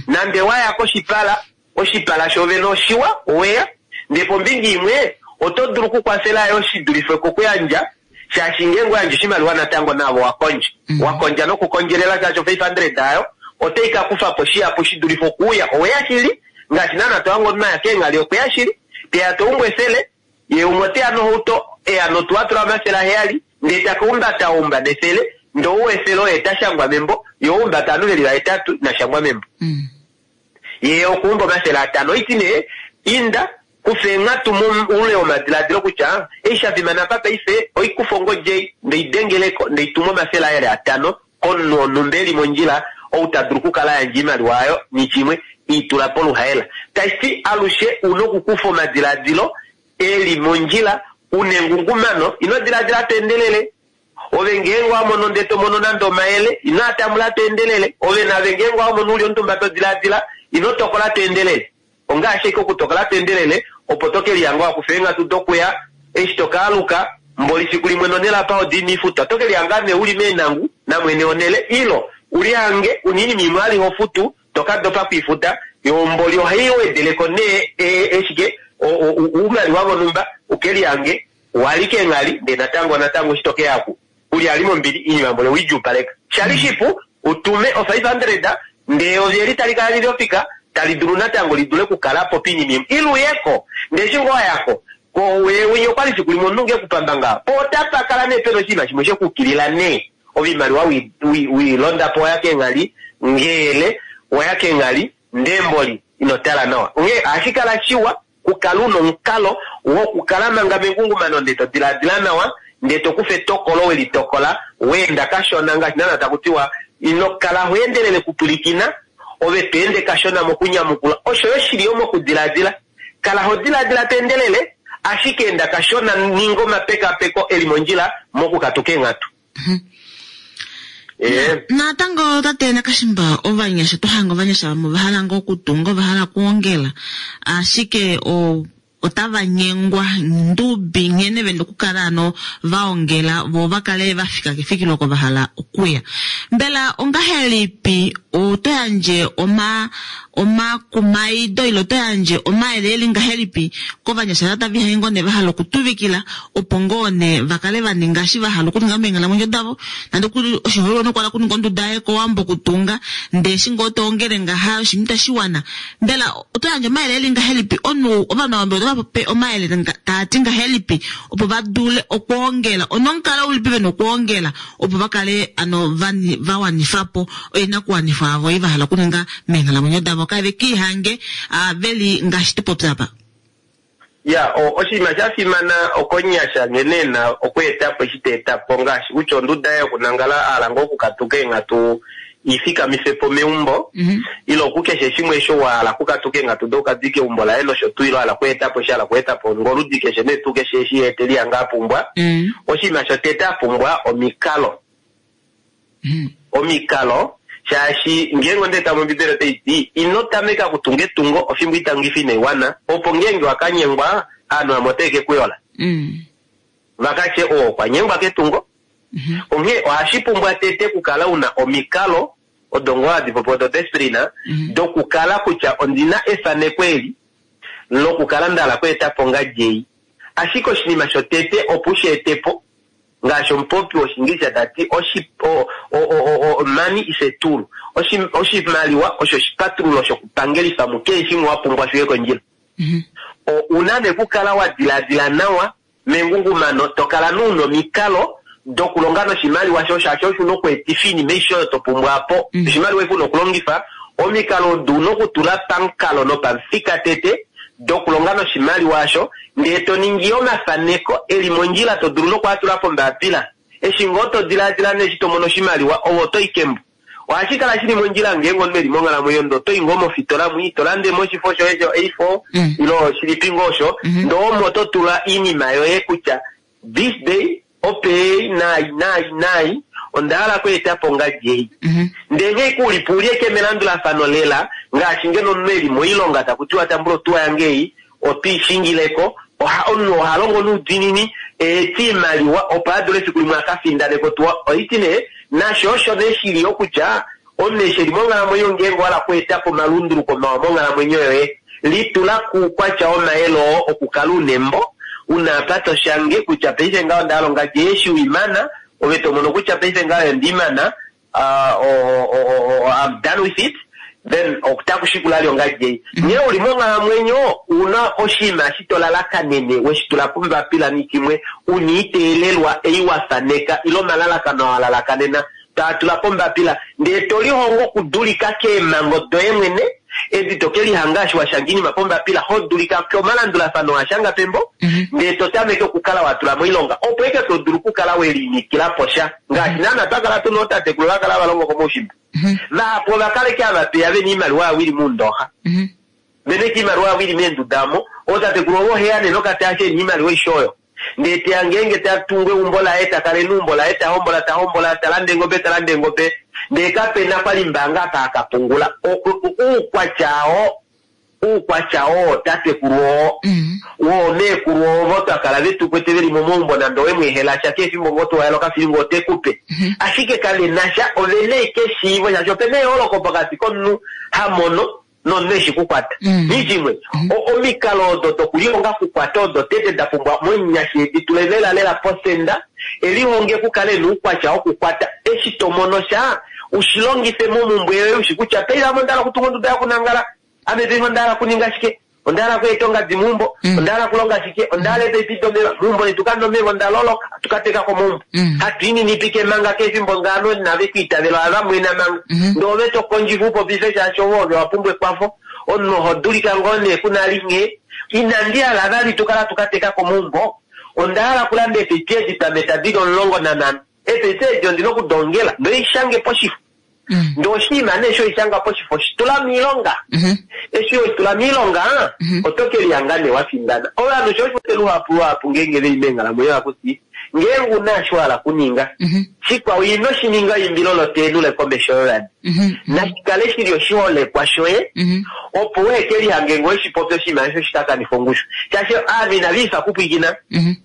Nande waya koshipala, oshipala shoovene oshiwa, oweya, ndee pombinga imwe oto dulu okukwafela yo shi dulife kokuyandja, shaashi ngeenge oyandja oshimaliwa natango naavo wakondja. Mm. Wakondja nokukondjelela shaashi o five hundred ayo otai ka kufa po shihapu shi dulife okuuya. Oweya shili, ngaashi naana tohange omunhu aya keenghali okweya shili, teya toumbu efele, ye umwe oteya nohauto, eya notuwa atula omafele aheyali, ndee taka umbata oumba nefele, ndee ou efele oye ta shangwa membo, ye oumbata ovanhu veli vahetatu ina shangwa membo. Mm. Ye okuumba omafele atano. Oiti nee, inda kufa eenghatu moule womadiladilo kutya eshi sha fimana apa paife oikufa ongodi ei ndeidengeleko ndeituma omafele aye atano komunhu wonhumba eli mondjila ou ta dulu okukala ayandja oimaliwa ayo nishimwe itula poluhaela. Tashi alushe una okukufa omadiladilo eli mondjila una engungumano ino diladila to endelele. Ove ngeenge wamono ndee tomono nande omayele ino atambula to endelele. Ove nave ngeenge wamono uli omutumba to diladila ino tokola to endelele. Ongaashi ashike okutokola to endelele opo to kelihanga wakufa eenghatu dokuya eshi tokaaluka mboli fiku limwe nonhele apa odi ina ifutwa oto kelihanga nee uli meenangu namwene wonhele ilo ulihange una oinima imwe ali hofutu tokadopa kwiifuta yo mboli ohai wedeleko nee e- eshike oumaliwa vonhumba ukelihange wali keenghali ndee natango natango eshi tokeyaku uli ali mombili iinima mboli oweidjuupaleka. Shali shipu utume o five hundred ndee eyovi eli tali kala lili ofika tali dulu natango lidule okukalapo piinima imwe ile uyeko ndee eshi ngoo wayako winya okwali fiku limwe omunhu ngee ekupamba ngaho po otapa kala nee pena oshinima shimwe shekukilila nee oimaliwa wiilondapo waya keenghali ngeele waya keenghali ndee mboli ino tala nawa. Onghee ohashi kala shiwa kukala una omukalo wokukala manga mengungumano ndee to diladila nawa ndee tokufa etokolo welitokola weenda kashona ngaashi naana takutiwa ino kala hoendelele kupwilikina ove to ende kashona mokunyamukula osho yo shili yo mokudiladila. Kala ho diladila to endelele ashike enda kashona ninga omapekapeko eli mondjila mokukatuka eenghatu. Ee. Natango tate Nakashimba ovanyasha tohanga ovanyasha vamwe ovahala ngoo okutunga ovahala okuongela ashike o otava nyengwa ndubi nghene vena okukala ano vaongela vo vakale vafika kefikilo oko vahala okuya. Mbela ongahelipi oto yandje oma omakumaido ile oto yandje omayele eli ngahelipi kovanyasha tava ihange ngoo nee vahala okutuvikila opo ngoo nee vakale vaninga eshi vahala okuninga meenghalamwenyo davo nande okuli oshiholelwa nokuhala okuninga onduda yaye kowambo okutunga ndee eshi ngoo toongele ngaha oshinima itashiwana. Mbela oto yandje omayele eli ngahelipi omunhu ovanhu ava mbela otava pe omayele taati ngahelipi opo vadule okwoongela onomukalo ulipi vena okwoongela opo vakale ano vawanifapo oinakuwanifwa yavo ei vahala okuninga meenghalamwenyo davo kave kiihange veli ngaashi tupopya apa. Ya, oshinima sha fimana okonyasha nghene ena okweetapo eshi ta etapo ngaashi kutya onduda yaye yokunangala ahala ngoo okukatuka eenghatu ifikamife meumbo ile okukeshe shimwe osho wahala okukatuka eenghatu dokukadika eumbo laye nosho tuu ile wahala okweetapo eshi ahala okweetapo ngoludi keshe nee tuu keshe eshi ye telihanga apumbwa. Oshinima shotete apumbwa omikalo. Omikalo shaashi ngeenge ondeeta mombibeli otaiti ino tameka okutunga etungo ofimbo itangifi inaiwana opo ngeenge wakanyengwa aanhu vamwe otave kekuyola. Vakatye oo okwa nyengwa ketungo. Onghee ohashi pumbwa tete okukala una omikalo odo ngoo hadi popiwa odo discipline dokukala kutya ondina efaneko eli lokukala ndahala okweetapo ongadi ei. Ashike oshinima shotete opo ushi etepo Ngaashi omupopi wOshiingilisha ta ti, oshi, o, o, o, o, money is a tool. Oshi, oshimaliwa osho oshipatululo shokupangelifa mukeshe shimwe wa pumbwa shuye kondjila. Mm-hmm. O, una nee kukala wa diladila nawa mengungumano, to kala nuuna omikalo dokulonga noshimaliwa sho shaashi osho una okweetifa iinima aishe oyo to pumbwa po. Mm. Oshimaliwa eshi una okulongifa, omikalo odo una okutula pamukalo nopamufika tete dokulonga noshimaliwa asho, ndee to ningi omafaneko eli mondjila to dulu nokwaatula pombapila. Eshi ngoo to diladila neshi to mono oshimaliwa, ove oto i kembo. Ohashi kala shili mondjila ngeenge omunhu eli monghalamwenyo ndo oto i ngoo mofitola mwi, to lande mo oshifo shoye sho A four, Mm. ilo shilipi ngoo osho, Mm-hmm. ndoo omo to tula iinima yoye kutya this day, opei, nai, nai, nai, onda hala okweeta po ngadi ei. Mm-hmm. Ndee ngee kulipo ulieke melandulafano lela, ngaashi ngeno omunhu eli moilonga taku tiwa tambula otuwa yange ei, otwiishingileko, oha, omunhu oha longo noudiinini, eeti iimaliwa opo a dule efiku limwe a ka findaneko otuwa. Oiti nee, nasho osho nee shili yo kutya, omunhu eshi eli monghalamwenyo ngeenge owa hala okweeta po omalunduluko mawa monghalamwenyo yoye, litula kuukwatya womayele oo okukala una embo, una apa to shange kutya paife ngaho onda hala ongadi eshi uimana, ove to mono kutya paife ngaho ondiimana, ah, o, o, o, o, I'm done with it, then otaku shikula li ongadi ei. Nghee uli monghalamwenyo, una oshinima eshi to lalakanene, weshi tula pombapila nikimwe, una iteelelwa ei wa faneka, ile omalalakano wa lalakanena, taa tula pombapila, ndee to lihongo okudulika keemhango doye mwene, edi to ke lihanga eshi wa shanga iinima pombapila, ho dulika komalandulafano wa shanga pembo, Mm-hmm. ndee to tameke okukala wa tula moilonga, opo eke to dulu okukala we linikila po sha. Ngaashi naana twa kala tuna ootatekulu va kala va longo komaushimba. Mm-hmm. Vahapu ova kaleke ava peya vena iimaliwa yavo ili muundoxa. Mm-hmm. Vena eke iimaliwa yavo ili meenduda omo, ootatekulu ovo oheya nee nokatasha ena iimaliwa aishe oyo. Ndee teya ngeenge ta tungu eumbo laye, ta kala eumbo laye, ta hombola, ta hombola, ta landa eengobe, ta landa eengobe, ndee kapena kwali mbaanga apa aka pungula. O-, o-, uukwatya oo, uukwatya oo tatekulu oo, Mm-hmm. woo meekulu ovo twa kala vetu kwete veli momaumbo nande owe mweehela sha kefimbo ngoo towayela okafilingo ote kupe. Mm-hmm. Ashike kave na sha, ovena eke eshiivo shaashi opena eyooloko pokati komunhu ha mono nomunhu eshi kukwata. Mm. Nishimwe, o-, omikalo odo dokulihonga kukwata odo tete da pumbwa momunyasha edi tule lela lela posenda, elihonge kukale noukwatya wokukwata. Eshi to mono sha, ushilongife momumbwe yoye ushi kutya paife ame onda hala okutunga onduda yokunangala, ame paife onda hala okuninga shike, onda hala okweeta ongadi meumbo, Mm. onda hala okulonga shike, onda hala eepipi domeva meumbo letu kamuna omeva, onda loloka, hatu ka teka komaumbo. Mm. Hatu ininipike manga kefimbo ngaano inave ku itavela, ohava mwena manga. Mm-hmm. Ndee ove to kondjifa upopife shaashi ove ove wa pumbwa ekwafo, omunhu oho dulika ngoo nee kuna li nghee. Inandi hala vali tu kala tu ka teka komaumbo, onda hala okulanda eepipi edi twameta dili omulongo nanhano. Eepipi edi ondina okudongela, ndoishange poshifo. Mm. Ndee oshinima nee eshi oishanga poshifo, shitula moilonga. Mm-hmm. Eshi oshitula moilonga, Mm-hmm. oto ke lihanga nee wa findana. Ovanhu sho osho luhapu luhapu ngeenge veli meenghalamwenyo hakuti, ngeenge una eshi wa hala okuninga, Mm-hmm. shikwao ino shi ninga eimbilo loteenule komesho yovanhu. Mm-hmm. Nashikale shili oshiholekwa shoye, Mm-hmm. opo uhe ke lihange ngoo eshi popi oshinima osho shikakanifa ongushu. Shaashi ovanhu inava ifa kupwiikina. Mm-hmm.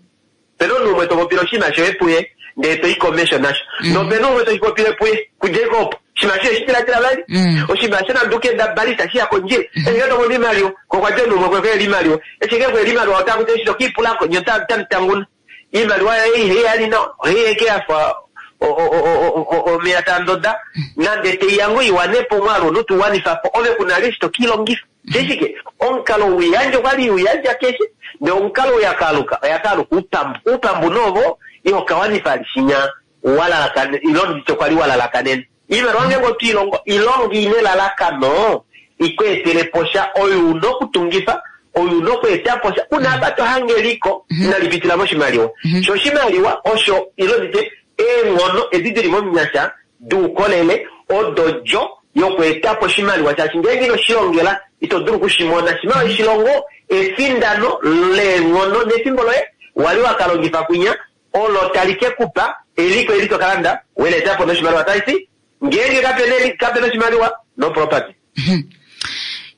Opena omunhu umwe to popile oshinima shoye puye, ndee to i komesho nasho. Mm. Nopena umwe toshi popile puye, kudje ko opo. Oshinima shoye shidiladila vali. Mm. Oshinima sho nande ukenda bali itashi ya kondjila. Eshi ngee to mono iimaliwa, ko okwa dja omunhu umwe kwe iimaliwa. Eshi ngee kweli iimaliwa ota kuti eshi tokiipulako, nye ota-, otamutanguna. Iimaliwa yoye ihei yali nawa, ohei eke yafa o-, o-, o-, o-, o-, omeya taa ndoda, nande teiya ngoo iwanepo omwaalu omunhu tuwanifa po, ove kuna li eshi tokiilongifa. Sheshike, omukalo wiyandja okwali wiyandja keshe, ndee omukalo uyakaaluka, oyakaaluka uupambu. Uupambu noovo, iho kawanifa alishinya walalakane, ilo nditye kwali walalakanene. Iimaliwa ngeenge otwiilongo, ilonga ina elalakano, ikweetele po sha, oyo una okutungifa, oyo una okweeta po sha, una apa to hange eliko, Mm-hmm. inali pitila moshimaliwa. Mm-hmm. Sho oshimaliwa osho, ilo nditye, eenghono edi dili momunyasha, duukolele, odo djo yokweeta po oshimaliwa, shaashi ngeenge ino shilongela, ito dulu okushimona. Shimaliwa oshilongo, efindano leenghono nefimbo loye, wali wakalongifa kwinya, olo tali ke kupa, eliko eli to kalanda, weleeta po noshimaliwa tashi, ngeenge kapena eli-, kapena oshimaliwa, no property. Mm-hmm.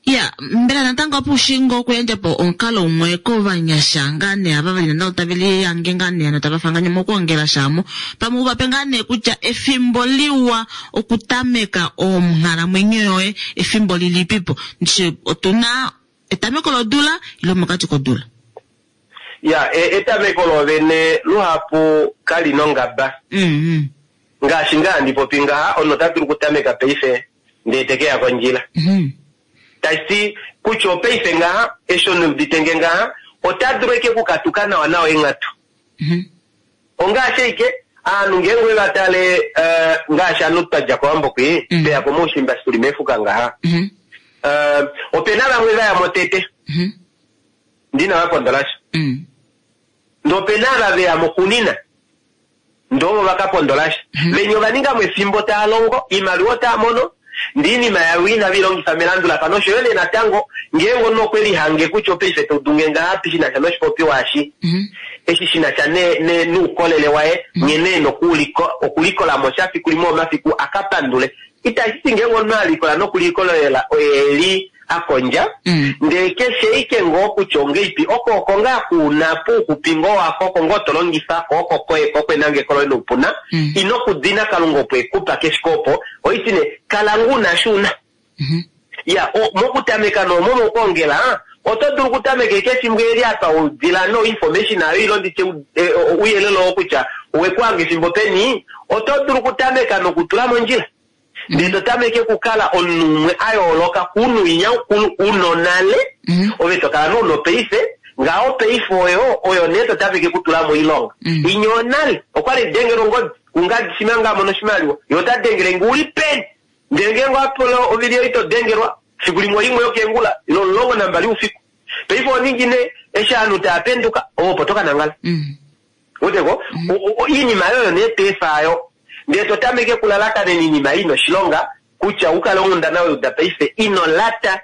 Ya, mbela natango opo ushingo okuyandja po omukalo umwe kovanyasha ngaa nee ava vali natango tave lihange ngaa nee ano tava fanganye mokuongela shamo, pamwe uvape ngaa nee kutya efimbo liwa okutameka onghalamwenyo yoye efimbo lilipipo. Ndishi otuna etameko lodula ile mokati kodula? Ya, e- etameko lovene luhapu kali nongaba. Mm, Ngaashi ngaa handi popi ngaha, omunhu ota dulu okutameka paife ndee te keya kondjila. mm, Tashi kutya opaife ngaha, eshi omunhu udite ngaha, ota dulu eke kukatuka nawa nawa eenghatu. mm, Ongaashi ashike aanhu ngeenge ove va tale eh, ngaashi aanhu twa dja kOwambo kwi, Mm. tweya komaushimba shi tuli mefuka ngaha. mm, Eh, opena vamwe va ya mo tete, mm, ndina va pondola sha. mm, Ndee opena ava veya mo kunina, ndee ovo va ka pondola sha. Venya ova ninga mo efimbo taa longo, iimaliwa otaa mono, ndee iinima yavo inave i longifa melandulafano. Osho yo nee natango, ngeenge omunhu okwe lihange kutya opaife todunge ngahapi shi na sha noshipopiwa eshi, mm, eshi shi na sha ne- ne- noukolele waye, nghene ena okuliko- okulikola mo sha fiku limwe omafiku a ka pandule. Itashi ti ngeenge omunhu a likola nokulikolelela oye eli a kondja, Mm. ndee keshe ike ngoo kutya ongeipi, oko oko ngaa kuna pouxupi ngoo wako, oko ngoo to longifa ko, oko koye ko kwenangeko loye noupuna, Mm. ino kudina Kalunga opo ekupa keshe opo, oiti nee, kala ngoo una shi una. mm, Ya, o- mokutameka noomo mokuongela, oto dulu okutameka eke efimbo eli apa udila no information ayo ilo nditye u- e, o- ouyelele oo kutya owekuhanga efimbo peni, oto dulu okutameka nokutula mondjila. Ndee to tameke okukala omunhu umwe a yooloka kuunhu winya ukulu uno nale, Mm. ove to kala nouno paife, ngaho paife oyo, oyo nee to tameke okutula moilonga. Mm. Inya onale, okwali dengela ongodi, kungadi shima nga mono oshimaliwa, ye ota dengele nge uli peni. Ndele ngeenge owa ovili oyo ito dengelwa, fiku limwe oimwe yokeengula, ilo omulongo nambali oufiku. Paife oningi nee, eshi ovanhu tava penduka, ove opo to ka nangala. mm, Weteko, O- o- iinima yoyo nee toefa ndee to tameke kulalakanena iinima ina oshilonga kutya ukale onghundana weuda paife ino lata.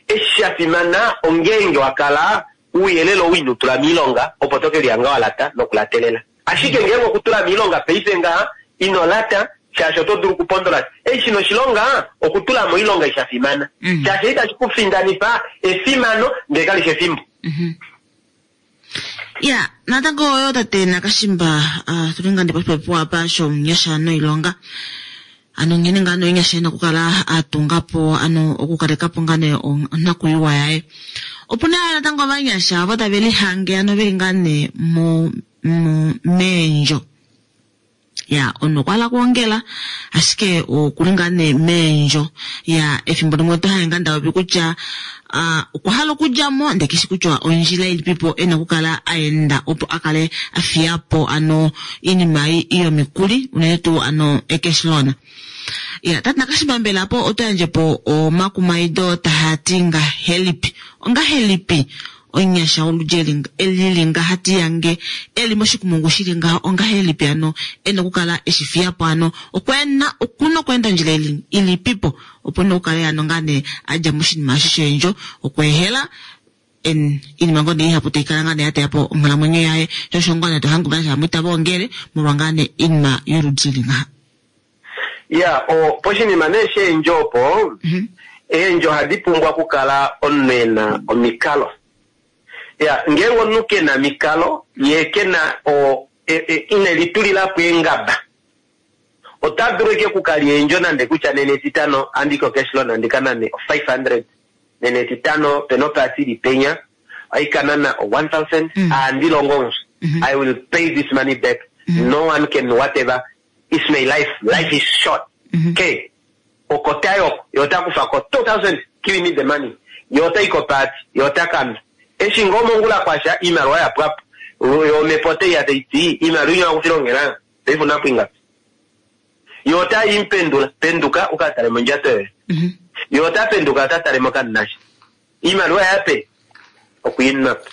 Eshi sha fimana ongeenge wa kala ouyelele ou ino tula miilonga opo to ke lihanga wa lata nokulatelela. Ashike ngeenge okutula miilonga paife ngaha ino lata shaashi oto dulu okupondola. Eshi shina oshilonga okutula moilonga isha fimana. Mm. Shaashi itashi ku findanifa efimano ndee kali shi efimbo. mm. Ya, natango oyo tate Nakashimba, ah, tuli ngaa poshipopiwa apa shomunyasha noilonga. Ano nghene ngaa nomunyasha ena okukala a tunga po, ano okukaleka po ngaa nee onakuyiwa yaye. Opuna natango ovanyasha ovo tave lihange ano veli ngaa nee mo, mo, meendjo. Ya, omunhu okwa hala okuongela, ashike okuli ngaa nee meendjo. Ya, efimbo limwe oto hange ngaa ndapopi kutya ah, okwa hala okudja mo, ndee keshi kutya ondjila ilipipo ena okukala a enda opo a kale a fiya po ano iinima yomikuli, unene tuu ano e-cash loan. Ya, tate Nakashimba mbela po oto yandje po omakumaido tahati ngahelipi? Ongahelipi omunyasha woludji eli elili ngaha tiyange eli moshikumungu shili ngaha ongahelipi ano ena okukala eshi fiya po ano okwena okuna okweenda ondjila ili ilipipo opo nee okukala ano ngaa nee adja moshinima eshi sheendjo okweehela en iinima ngoo nee ihapu taikala ngaa nee ya teya po onghalamwenyo yaye sho osho ngoo nee tohange ovanyasha vamwe itava ongele molwa ngaa nee iinima yoludi ili ngaha. Ya, o, poshinima nee sheendjo opo, Mhm. eendjo ohadi pumbwa okukala omunhu ena omikalo. Ya, ngeenge omunhu kena omikalo, ye kena o, e, e, ine litulila po eengaba, ota dulu eke okukalya eendjo nande kutya nena etitano andike o-cash loan andi ka nane o-five hundred, nena etitano pena opaasi ili penya, aika nana o-one thousand, Mm. andi longo onso. Mhm. I will pay this money back. Mhm. No one can whatever. It's my life. Life is short. Mhm. Okay. Oko tayo, yo ota kufa ko two thousand, give me the money. Yo ota iko party, yo ota kanda. Eshi ngoo mongula kwasha, iimaliwa ya pwapo. Yo omhepo otai ya tai ti, iimaliwa inya wakufilongela, paife una po ingapi? Yo ota impendula, penduka uka tale mondjato yoye. Mhm. Yo ota penduka ota tale mokanasha. Iimaliwa yape, okwiinwa po.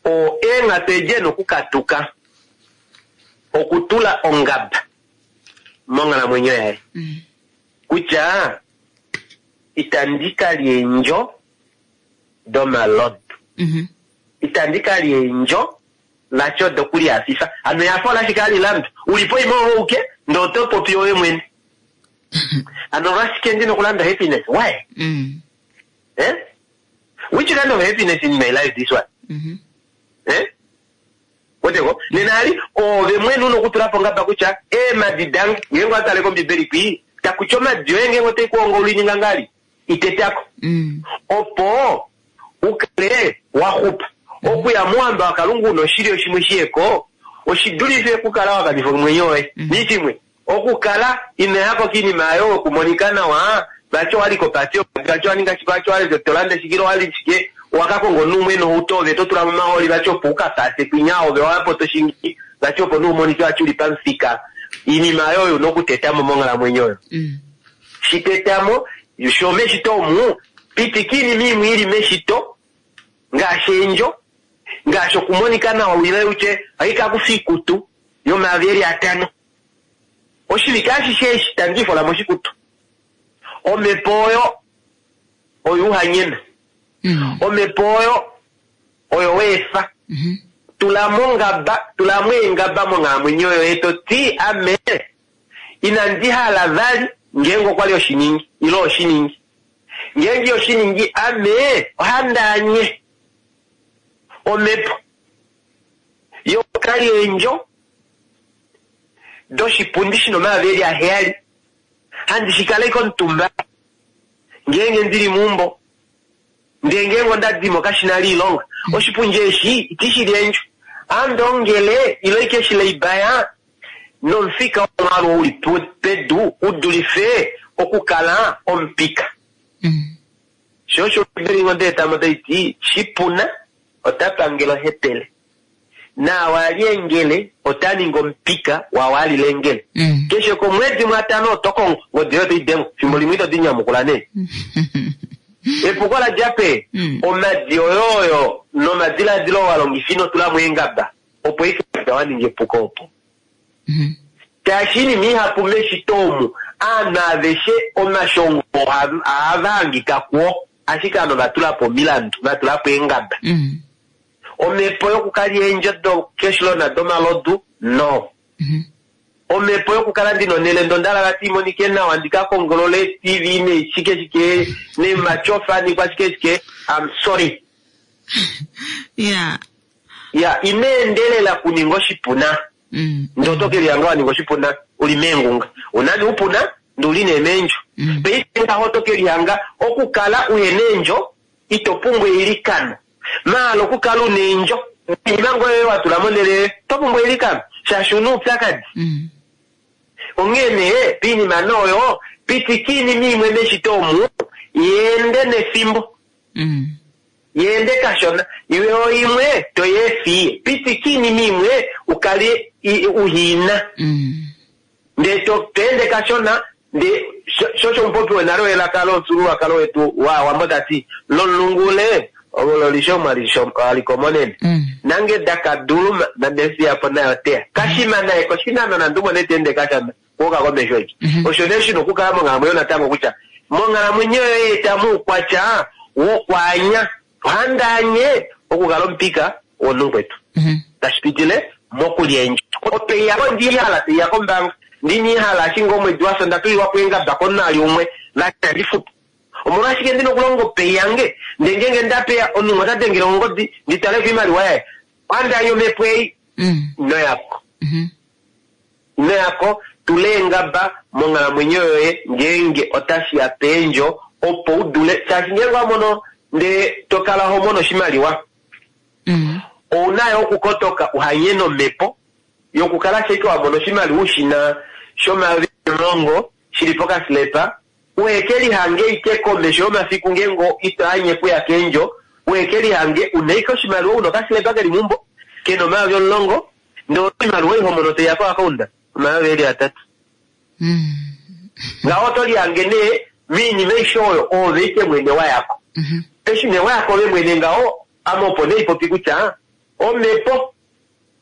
O eenghatu edi ena okukatuka okutula ongaba monghalamwenyo yaye Mm. kutya itandi kalya eendjo domalodu, Mhm. itandi kalya eendjo lasho dokulihafifa. Hano ehafo olashike hali landwa ulipo ime ove uke ndee oto popi owe mwene. Hano olwashike ndina okulanda happiness? Why? Mm. Eh? Which kind of happiness in my life this one? Mhm. Eh? Weteko, nena ali ove mwene una okutula po ngaba kutya eemadi dange ngeenge owatale kombibeli kwii takutya omadi oye ngeenge otai kuhonga oluininga ngali itetako Mm. opo ukale wa xupa. Okuya mouhamba waKalunga una oshilyo shimwe shiyeko oshidulife okukala wa kanifa omwenyo woye. Nishimwe okukala inoyako kiinima ayo okumonika nawa, vati owali kopati, vati owaninga shike, vati owali tolanda shike, owali shike, owakakonga omunhu umwe nohauto ove to tula momahooli vati opo ukapase kwinya ove owapo toshingi vati opo nee umonike vati uli pamufika. Iinima ayo oyo una okutetamo monghalamwenyo oyo. Shitetamo sho meshito omu pitika iinima imwe ili meshito ngaashi eendjo, ngaashi okumonika nawa wile utye oikakufa iikutu yomayovi eli atano. Oshivike ashishe eshi tandi ifola moshikutu. Omhepo oyo oyo uhanyena. Omhepo oyo oyo weefa. Tula mongaba, tula eengaba monghalamwenyo yoye to ti ame inandi hala vali ngeenge okwali oshiningi ile oshiningi. Ngeenge oshiningi ame ohandaanye omhepo yokali eendjo doshipundi shina omayovi eli aheyali handi shikale komutumba ngeenge ndili meumbo ndee ngeenge ondadimo kashina liilonga oshipundi eshi itishili eendjo andongele ile ike shileibaya nomufika womwaalu uli pedu udulife okukala omupika. Sho osho Ombibeli onde etamo taiti shipuna ota pangele ohepele naawali engele ota ningi omupika waawali lengele. Keshe komwedi mwatano oto kongo ngodi yoye otai dengwa fimbo limwe ito dinyamukula nee. Epuko la dja pe omadi oyo oyo nomadiladilo wa longifa ino tula mo eengaba opo ike wa ninga epuko opo. Shaashi iinima ihapu meshito omu aanhu aveshe omashongo ohava hangika kuo ashike aanhu vatulapo omilandu vatulapo eengaba. Omhepo yokukala eendjo do-cashloan domalodu no. Omhepo yokukala ndina onhele ndondala vati imonike nawa ndikakongolole T V neshike shike nemachofa nikwashike shike, I'm sorry. Yeah. Ya, ineendelela kuninga oshipuna. Ndoto keli yanga waninga oshipuna uli meengunga. Unani upuna nduli neemendjo. Paife ngaho to keli yanga okukala uhena eendjo ito pumbwa eilikano. Maala okukala una eendjo iinima ngoye watula monhele to pumbwa eilikano shaashi una oupyakadi. Onghee nee piinima nooyo pitika iinima imwe meshito omu yeende nefimbo. Yeende kashona yo imwe toyeefiye pitika iinima imwe ukale uhiina. Ndee to ende kashona ndee shosho omupopi wenale welaka lomufyuululwakalo wetu waawambo tati lomulungule ololisho mwalikomonene nange dakaduluma nandefiyapo nayo teya kashima naye koshinano nandumone teende kashana kuuka komesho eki. Osho nee shina okukala monghalamwenyo natango kutya monghalamwenyo yoye etamu oukwatya wokwaanya ohandaanye okukala omupika womunhu kwetu tashi pitile mokulya eendjo. Opeya ndihala teiya kombaanga ndinihala ashinge omwedi wafya ndatulilwapo eengaba komunhu umwe vati andifutu. Omolwashike ndina okulonga opei yange ndee ngeenge ndapeya omunhu ota dengele ongodi nditale koimaliwa yaye ohandaanye omhepo ei noyako noyako tula eengaba monghalamwenyo yoye ngeenge otashiya peendjo opo udule shaashi ngeenge wamono ndee tokala ho mono oshimaliwa ouna yo okukotoka uhanye nomhepo yokukala sheke wamono oshimaliwa ushina shomayovi omulongo shili pokasilepa uhekelihange ike komesho yomafiku ngeenge ito anye kuya keendjo uhekelihange una ike oshimaliwa una okasilepa keli meumbo kena omayovi omulongo ndee oshimaliwa ihomono teiya koakaunda omayovi eli atatu. Ngaho oto lihange nee miinima aishe oyo oove ike mwene wayako. Eshi nee wayako ove mwene ngaho ame opo nee ipopi kutya omhepo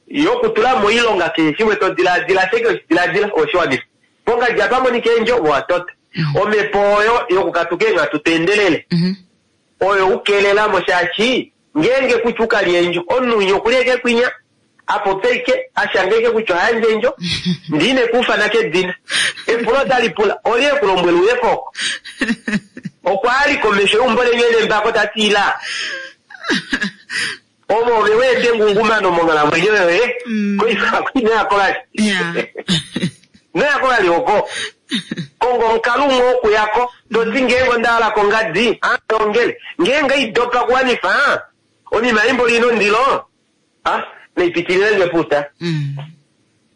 yokutula moilonga keshe shimwe to diladila sheke oshidiladila oshiwanifa pongadi apa monika eendjo owatota. Omhepo oyo yokukatuka eenghatu teendelele oyo ukelelamo shaashi ngeenge kutya ukalya eendjo omunhu winya okulya eke kwinya apopye ike ashange ike kutya ohayandje eendjo ndiine kuufana kedina epulo otali pula olye ekulombwela uye koko okwa ali komesho yeumbo lenyu elembako tati ila ovo ove weete engungumano monghalamwenyo yoye koinoyako vali noyako vali oko kongo omukalo umwe wokuyako toti ngeenge ondahala kongadi andongele ngeenge idopa kuwanifa Onima imbo lino ndilo ah neipitilile ngeputa. Mm.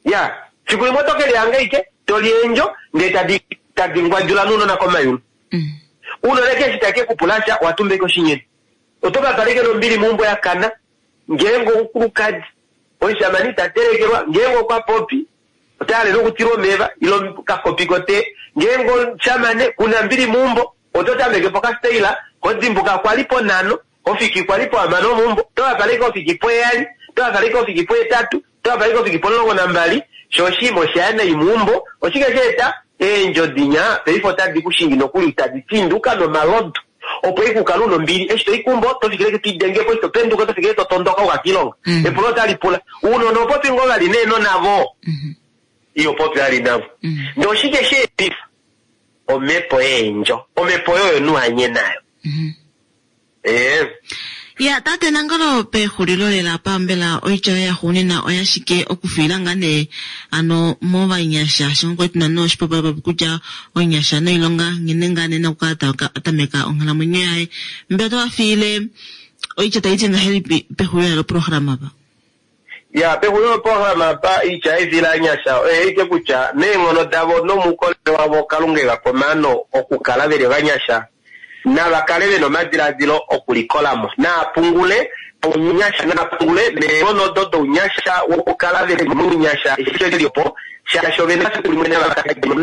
Ya, fiku limwe oto ke lihanga ike to li eendjo ndee tadi tadi ngwadjula nounona komayulu. Mm. Uunona keshi take kupulasha watumbeke oshinyeni. Oto ka paleke nombili meumbo ya kana ngeenge omukulukadi omushamane ita telekelwa ngeenge okwa popi ota halele okutilwa omeva ile kakopi kotee ngeenge omushamane kuna mbili meumbo oto tameke pokasteila kodimbuka kwali ponhano ofiki kwali pohamano meumbo oto ka paleke ofiki poheyali oto ka paleke ofiki pohetatu oto ka paleke ofiki pomulongo nambali sho oshinima oshaya nai meumbo oshike sha eta eendjo dinya paife otadi kushingi nokuli tadi tinduka nomalodu opo ikukala una ombili eshi toikumbo oto fikile toidengepo eshi topenduka oto fikile totondoka uka kiilonga Mm. epulo otali pula uunona opopi ngoo vali neeno navo Mhm. iyo popi vali navo Mm. ndee oshike sheetifa omhepo yeendjo omhepo oyo nuhanye nayo Mhm. ee Ya tate Nangolo pexulilo lela pambela oitya yoye yaxuuninwa oyashike okufiila ngaa nee ano movanyasha shongo tuna noshipopiwa kutya onyasha noilonga nghene ngaa nee nakukala ta- atameka onghalamwenyo yaye mbela otovafiile oitya taiti ngahelipi pexulilo lela loprograma apa ya pexulilo loprograma apa oitya yefila anyasha oyeike kutya meenghono davo nomuukolele wavo kalunga eva pomano okukala veli ovanyasha nava kale vena omadiladilo okulikolamo naapungule ounyasha naapungule meenghono odo dounyasha wokukala veli mounyasha eshi veli opo shaashi ovena fiku limwe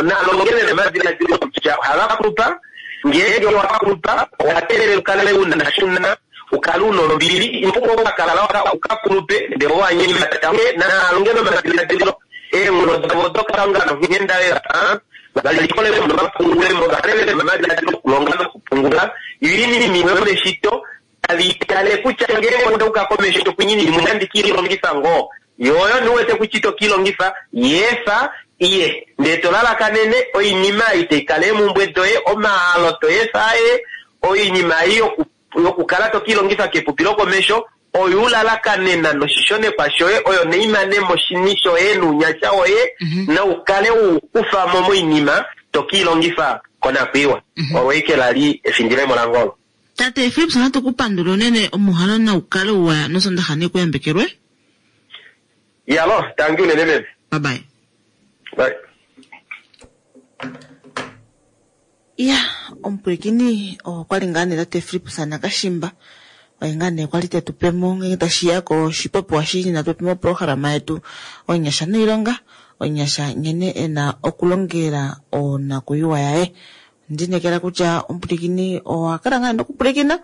nalonge vena omadiladilo kutya ohava kulupa ngeenge wakulupa owa teelela ukale una shuna ukale una ombili inopumbwa okakala ukakulupe ndele owanyemata nalonge nomadiladilo eenghono davo dokalunga nonghenda lela valikolemo novapungulemo vakale vena omadiladilo okulonga nokupungula yoinima imwe yomeshito tavi tale kutya ngeenge ondauka komesho tokunyini imwe nandi kiilongifa ngoo yoyo niwete kutya ito kiilongifa yeefa iye ndee tolalakanene oinima ei taikala eemumbwe doye omahalo toyefa aye oinima ei yoku- yokukala tokiilongifa kepupi lokomesho oyo ulalakanena noshishonekwa shoye oyo neimane moshini shoye nounyasha woye Mhm. noukale ukufamo moinima tokiilongifa konakwiiwa Mhm. olweike lali efindilemo langolo tate Philips natu kupandula unene omuhalo naukale uwa nosondaxa nekuyambekelwe yalo tangi unene meme bye bye Bye. ya omupwilikini okwali ngaa nee tate Philips Nakashimba oye ngaa nee kwali tetupemo ngenge tashiya koshipopiwa shili natu pe moprograma yetu onyasha noilonga onyasha nghene ena okulongela onakuyiwa yaye ndinekela kutya omupwilikini owa kala ngaa nokupwilikina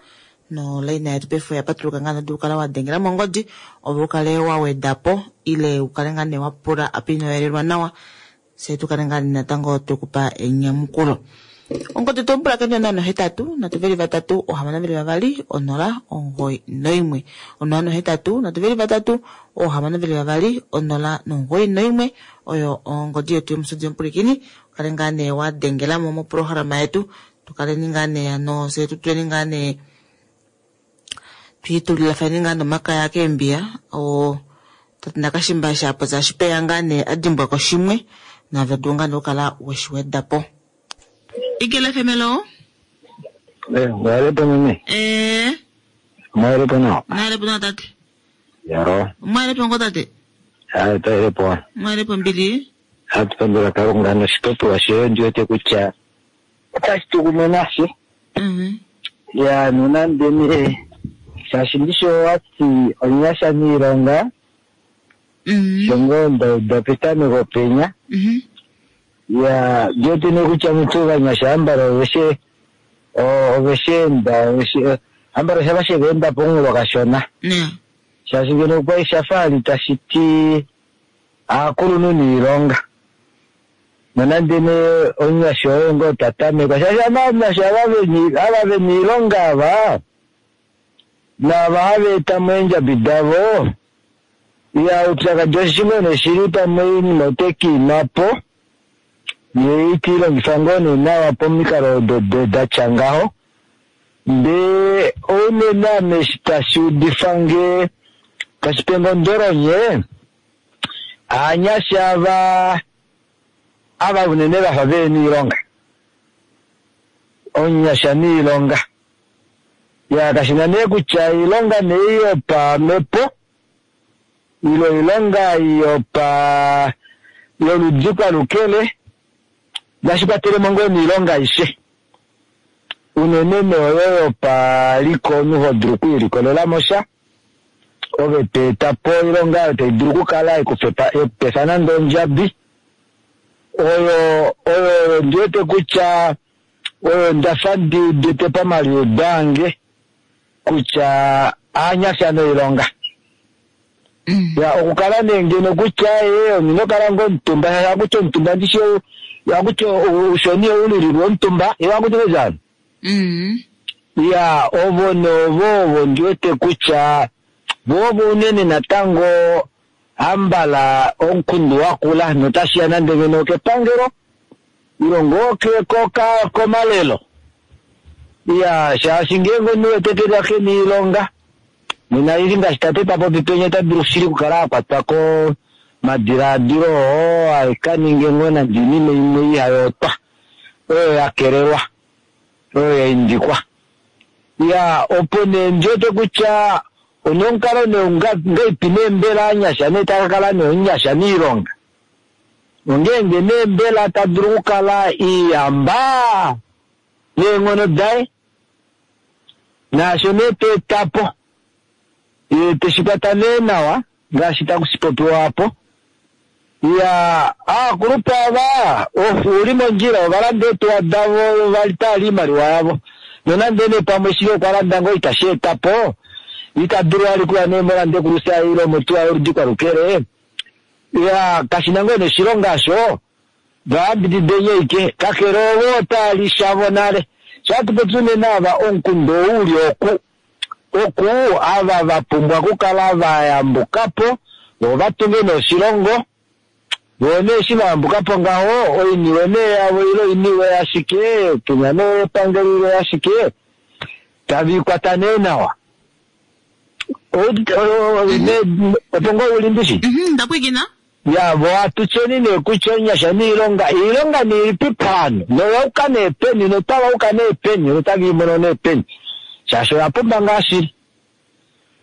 nolaina yetu paife oya patuluka ngaa nodu kala wa dengela mongodi ove ukale wa wedapo ile ukale ngaa nee wapula apa inoyelelwa nawa se tukale ngaa natango twekupa enyamukulo ongodi tompulakeni onola nohetatu nhatu veli vatatu ohamano veli vavali onola omugoyi noimwe onola nohetatu nhatu veli vatatu ohamano veli vavali onola nomugoyi noimwe oyo ongodi yetu yomusudi yomupulikini ukale ngaa nee wa dengelamo moprograma yetu tukaleni ngaa nee ano se tutuleni ngaa nee twiitulilafani ngaa nomakaya keembiya o tate Nakashimba shapoza shipeya ngaa nee adimbwako shimwe naave dulu ngaa nee okukala weshiwedapo Eagle F M hello. Eh, mwalepo mimi. Eh, Mwalepo nawa. nalepo na tate. Yaro. Mwalepo ngo tate. Ah, tailepo. Mwalepo mbili. Atupandula kalunga noshipopiwa shoye ndiwete kutya otashi tukumwe nashe. Mhm. Ya nonande nee shaashi ndisho wati onyasha niilonga Mhm. shongo ndauda petameko penya. Mhm. Ya ndiwete nee kutya mutu vanyasha ambala oveshe o- oveshe enda oveshe ambala shava sheveenda pomunghulo kashona. Ne. Shaashi ngeno okwali shafa tashi ti aakulunhu niilonga nonande nee omunyasha oye ngoo tatamekwa shaashi avanyasha ava veni- ava vena iilonga ava naava hava etamo eendjabi davo ya upyakadi oshimwe nee shili pamwe oinima otekiimapo ye itiilongifa ngoo nee nawa pomikalo odo do- datya ngaho ndee ounene ame eshi tashi udifa nge tashi pe nge ondolonye aanyasha ava ava unene vafa vena iilonga omunyasha niilonga Ya kashina nee kutya iilonga nee yopamhepo ilo oilonga yopa yoludi kwalukele nashi kwatelemo ngoo niilonga aishe unene nee oyo yopaliko omunhu hodulu okwiilikolela sha ove toetapo oilonga oyo tai dulu okukala yekupefa nande ondjabi oyo oyo ndiwete kutya oyo ndafa ndi udite pamaliudo ange kutya aanyasha noilonga. Ya okukala nee ngeno kutya ye omunhu okala ngoo omutumba akutya omutumba ndishi akutya uushoni oulililwe omutumba iwe akutya njani ya ovo novo ovo ndiwete kutya vovo unene natango ambala omukundu wakula notashiya nande ngeno okepangelo ilo ngoo komalelo ya shaashi ngeenge omunhu wete kena niilonga nena ili ngaashi tate tapopi penya ota dulu shili okukala akwatwa komadilaadilo oo aikaninge ngoo nande oinima imwe ihayootwa oyo yakelelwa oyo yaindikwa. Ya opo nee ndiwete kutya onomukalo nee ngaipi nee mbela anyasha nee takakala nee omunyasha miilonga ongeenge nee mbela tadulu okukala iyamba neenghono daye naasho nee toetapo ye teshikwata nee nawa ngaashi takushipopiwa apo. Ya aakulupe ava uli mondjila ovalanda eetuwa davo vali iimaliwa yavo nonande nee pamwe shili okwa landa ngoo itashi etapo ita dulu ali kuya nee molande kulusa ile motuwa yoludi kwalukele ya kashina ngoo neshilonga asho vayambidide ike kakele ovo otaali shavo nale shatupopi unene ava omukundu ouli oku oku ava vapumbwa okukala vayambukapo vo vatunge noshilongo vo nee eshi vayambukapo ngaho oiniwe nee yavo ile oiniwe ashike kenya nee epangelo ile ashike taviikwata nee nawa opo ngoo uli ndishi ndapwikina ya vo atutyeni nee kutya onyasha niilonga iilonga niilipi pano noyauka nee peni notavauka nee peni notaviimono nee peni shaashi oya pumba ngaa shili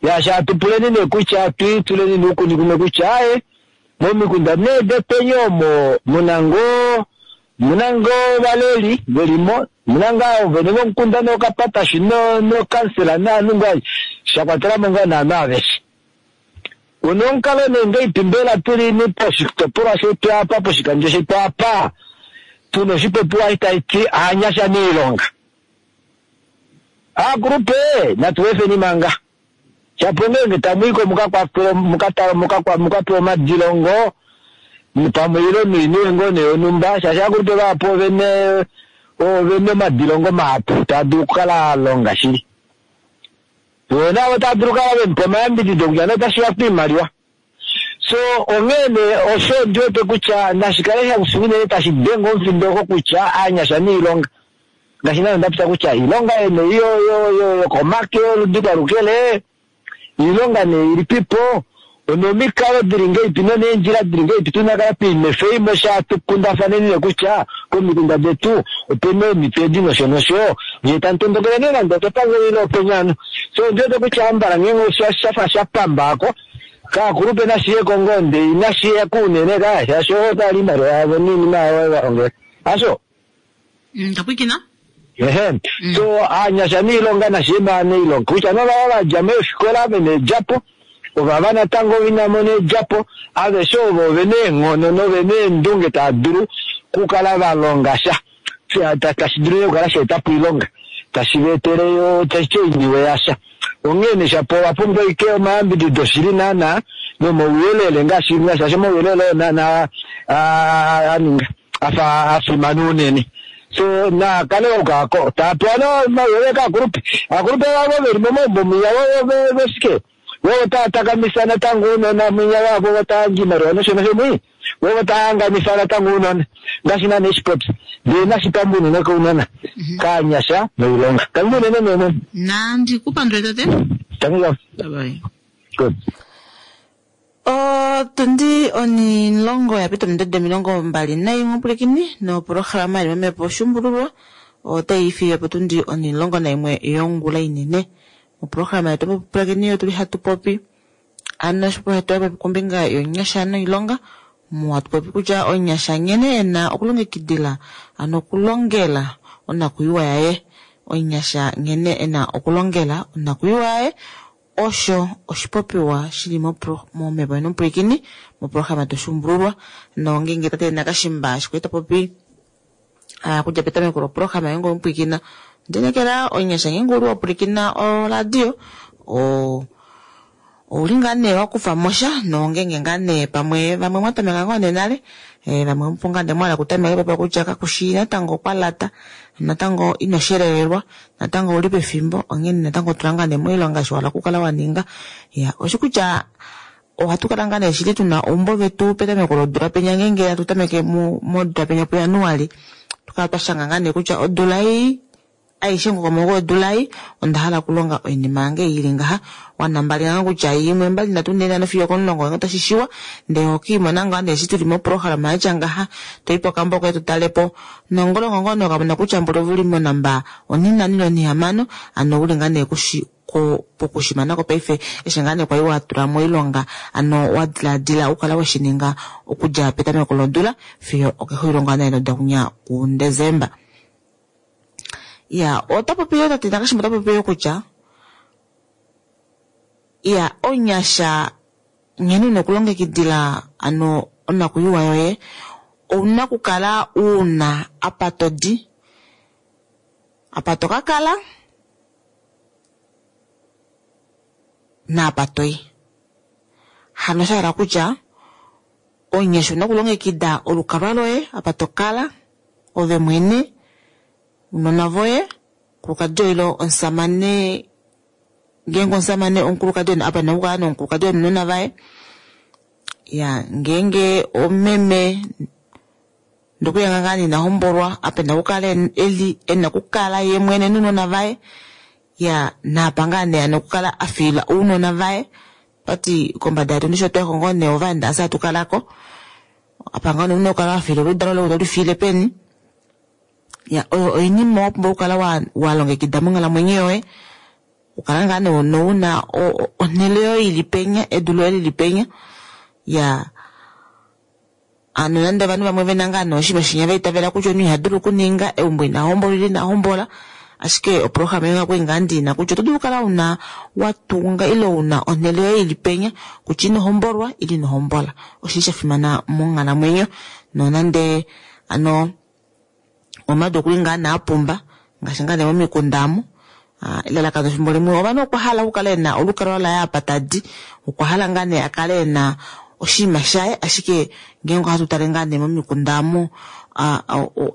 ya shatupuleni nee kutya twiituleni nuukuni kumwe kutya aye momikunda nee depeni omo muna ngoo muna ngoo ovaleli velimo muna ngaa ovene vomukunda nookapatashi nookansela naanhu ngaa shakwatelamo ngaa naanhu aveshe. Una omukalo nee ngaipi mbela tulini poshitopolwa shetu apa poshikandjo shetu apa tuna oshipopiwa taiti aanyasha miilonga aakulupe natu efeni manga shapo ngeenge tamwiiko mukapewa omadilongo pamwe ilo noiniwe ngoo nee yonhumba shaashi aakulupe vahapu ovene ovene omadilongo mahapu taa dulu okukala alonga shili vo navo taa dulu okukala vemupa omayambidido kutya nee otashiya kwiimaliwa so onghee nee osho ndiwete kutya nashikale shakusi unene tashi denge omufindo oko kutya aanyasha niilonga ngaashi nane ndapita kutya iilonga yene yokomake yoludi kwalukele iilonga nee ilipipo onomikalo dili ngeipi noneendjila dili ngeipi tunakala twiimefe imwe shatukundafaneni kutya komikunda detu opena eemito edi nosho nosho nyee tamutondokele nee nande okepangelo ile openyano so ndiwete kutya ambala ngeenge shafa shapambako kaakulupe nashiyeko ngoo ndee inashiyako unene ka shaashi otali iimaliwa yavo niinima yavo valongele asho ndapwikina ehe so aanyasha niilonga nashiima niilonga kutya novava vadja meefikola vena edjapo ovava natango vinamona edjapo aveshe ovo ovena eenghono novena eendunge taa dulu kukala valonga sha tashi dulu okukala shaetapo oilonga tashi vaetele yo tashi oiniwe yasha onghee nee shapo ovapumbwa ike omayambidido shili naana nomauyelele ngaashi shaashi omauyelele oo naana aninga afa afimana unene so nakale okako tapewa nomauyelele kaakulupe aakulupe vavo veli momaumbo mwinya vosike vovo tatakamisa natango uunona mwinya wavo votayandja iimaliwa nosho nosho mwi vovo tahanganisa natango uunona ngaashi nane eshipopya ndee nashipamba unene kounona kaanyasha noilonga tangi unene nene nandi kupandule tate tangi bye good otundi onilongo yapita omindodo omilongo mbali naimwe pwilikini nopolohalama yili momepo oshumbululwa otayi fiye potundi onilongo naimwe yongula inene. Moprograma yetu mopulakeni otuli hatu popi ano oshipopi popi kombinga yonyasha noilonga mu hatu popi kutya onyasha nghene ena okulongekidila ano okulongela onakuyiwa yaye, onyasha nghene ena okulongela onakuyiwa yaye osho oshipopiwa shili momhepo yomupwilikini moprograma toshumbululwa nongenge tate Nakashimba shikwe popi kudja petameko loprograma yange omupwilikina ndinekela onyasha ngenge uli wapwilikina oradio o ouli ngaa nee wakufa mosha nongenge ngaa nee pamwe vamwe mwatameka ngoo nee nale vamwe opo ngaa nee mwahala okutameka popa kutya kakushi natango kwalata natango ino shelelelwa natango ouli pefimbo onghene natango tula ngaa nee moilonga eshi wahala okukala waninga. Ya oshi kutya ohatu kala ngaa nee shili tuna oumbo vetu petameko lodula penya ngenge hatu tameke modula penya puJanuali tukala twashanga ngaa nee kutya odula ei aishe ngokomoko odula ei onda hala okulonga oinima yange ili ngaha wanambali nga kutya imwe mbali nhatu nhee nhano fiyo okomulongo ngenge otashi shiwa ndee okiimona ngaa nee eshi tuli moprograma yatya ngaha toyi pokambo koye tutalepo nongolongo ngoo nee okamona kutya mboli uli monamba onhinhano ile onhihamano ano uli ngaa nee kushi pokushimanako paife eshi ngaa nee kwali watula moilonga ano wadiladila ukala weshininga okudja petameko lodula fiyo okexulilo ngaa nee lodakunya kuDesemba. Ya ota popi yo tate Nakashimba ota popi yo kutya ya onyasha nghene una okulongekidila ano onakuyiwa yoye ouna okukala una apa todi apa tokakala naapa toyi. Hano shahala kutya onyasha una okulongekida olukalwa loye apa tokala ove mwene unona voye omukulukadi oilo omusamane ngeenge omusamane omukulukadi apa ena okukala nomukulukadi nounona vaye. Ya ngeenge omeme ndokuya ngaa ina hombolwa apa ena okukala eli ena okukala ye mwene nounona vaye. Ya naapa ngaa nee ano okukala afiila ounona vaye tati kombada yetu ndishi otwayako ngoo nee ovaenda ase hatukalako apa ngaa nee una okukala wafiila oludalo loye otolifiile peni. Ya oyo oinima wapumbwa okukala walongekida monghalamwenyo yoye ukala ngaa nee nouna onhele yoye ili penya edu loye lili penya. Ya ano nande ovanhu vamwe vena ngaa nee oshinima shinya vaitavela kutya omunhu iha dulu okuninga eumbo ina hombola ile ina hombola ashike oprograma yoye okwali ngaa ndina kutya oto dulu okukala una watunga ile una onhele yoye ili penya kutya ino hombolwa ile ino hombola oshili shafimana monghalamwenyo nonande ano omadu okuli ngaa nee apumba ngaashi ngaa nee momikunda amu elalakano efimbo limwe ovanhu okwa hala okukala ena olukalwa laye apa tadi okwa hala ngaa nee akale ena oshinima shaye ashike ngeenge ohatu tale ngaa nee momikunda amu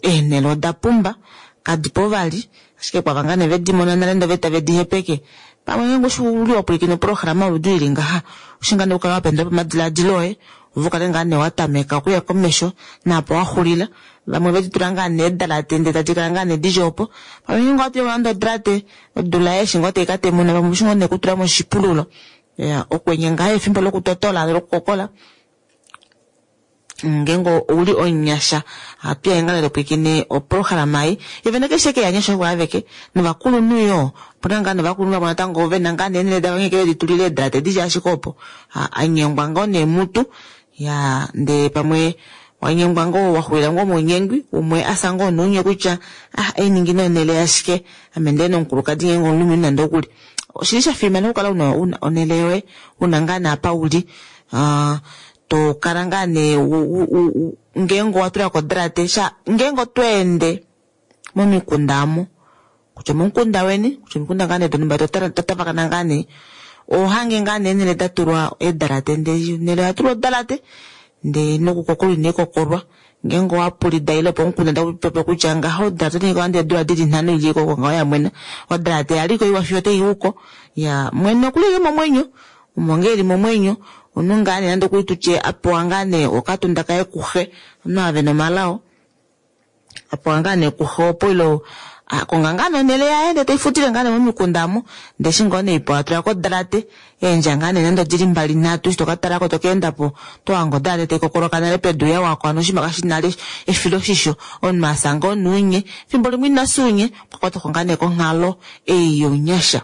eenhele oda pumba kadipo vali ashike kwava ngaa nee vedimona nale ndee tave dihepeke pamwe ngeenge oshi uli wapwilikina oprograma yoludi ili ngaha oshi ngaa nee okukala wapendula pomadiladilo oye ove ukale ngaa nee watameka okuya komesho naapo waxulila vamwe veditula ngaa nee edalate ndee tadi kala ngaa nee dili opo pamwe ngeenge owatulako nande odalate odula eshi ngoo taikatemuna pamwe oshi ngoo nee okutulamo oshipululo. Ya okwenye ngaha efimbo lokutotola lokukokola ngeenge ouli omunyasha ohatu ngaa nee topwilikine oprograma ei yovene keshe keanyasha ovo aveke novakulunhu yoo opuna ngaa novakulunhu vamwe natango vena ngaa nee eenhele davo nghee veditulile eedalate dili ashike opo anyengwa ngoo nee mutu ya ndee pamwe wanyengwa ngoo waxulila ngoo mounyengwi umwe asa ngoo nounye kutya ah einingi nee onhele yashike ame ndee nomukulukadi ngeenge omulumenhu nande okuli oshili shafimana okukala una onhele yoye una ngaa nee apa uli tokala ngaa nee ngeenge owatulako odalate ngeenge otweende momikunda amu kutya omomukunda weni kutya omikunda ngaa nee donumba totavakana ngaa nee ohange ngaa nee eenhele datulwa eedalate ndee onhele oyatulwa odalate ndee nokukokolwa inaikokolwa ngeenge owapulida ile pomukunda takupopiwa kutya ngaha odalate otainingwa nande eedula dili nhano ili koko ngaho yamwena odalate yaliko iwa fiyo otaiwuko. Ya mwene okuli ashike momwenyo omo ngee eli momwenyo omunhu ngaa nee nande okuli tutye apewa ngaa nee okatunda kaye kuxe omunhu ava vena omalao apewa ngaa nee kuxe opo ile akonga ngaa nee onhele yaye ndee teifutile ngaa nee momikunda amu ndee eshi ngoo nee ipewa atulako odalate eendja ngaa nee nande odili mbali nhatu eshi tokatalako tokeendapo tohange odalate taikokoloka nale pedu yawako ano oshinima kashi nale efiloshisho omunhu asa ngoo nounye efimbo limwe inafya unye okwakwatwako ngaa nee konghalo ei younyasha.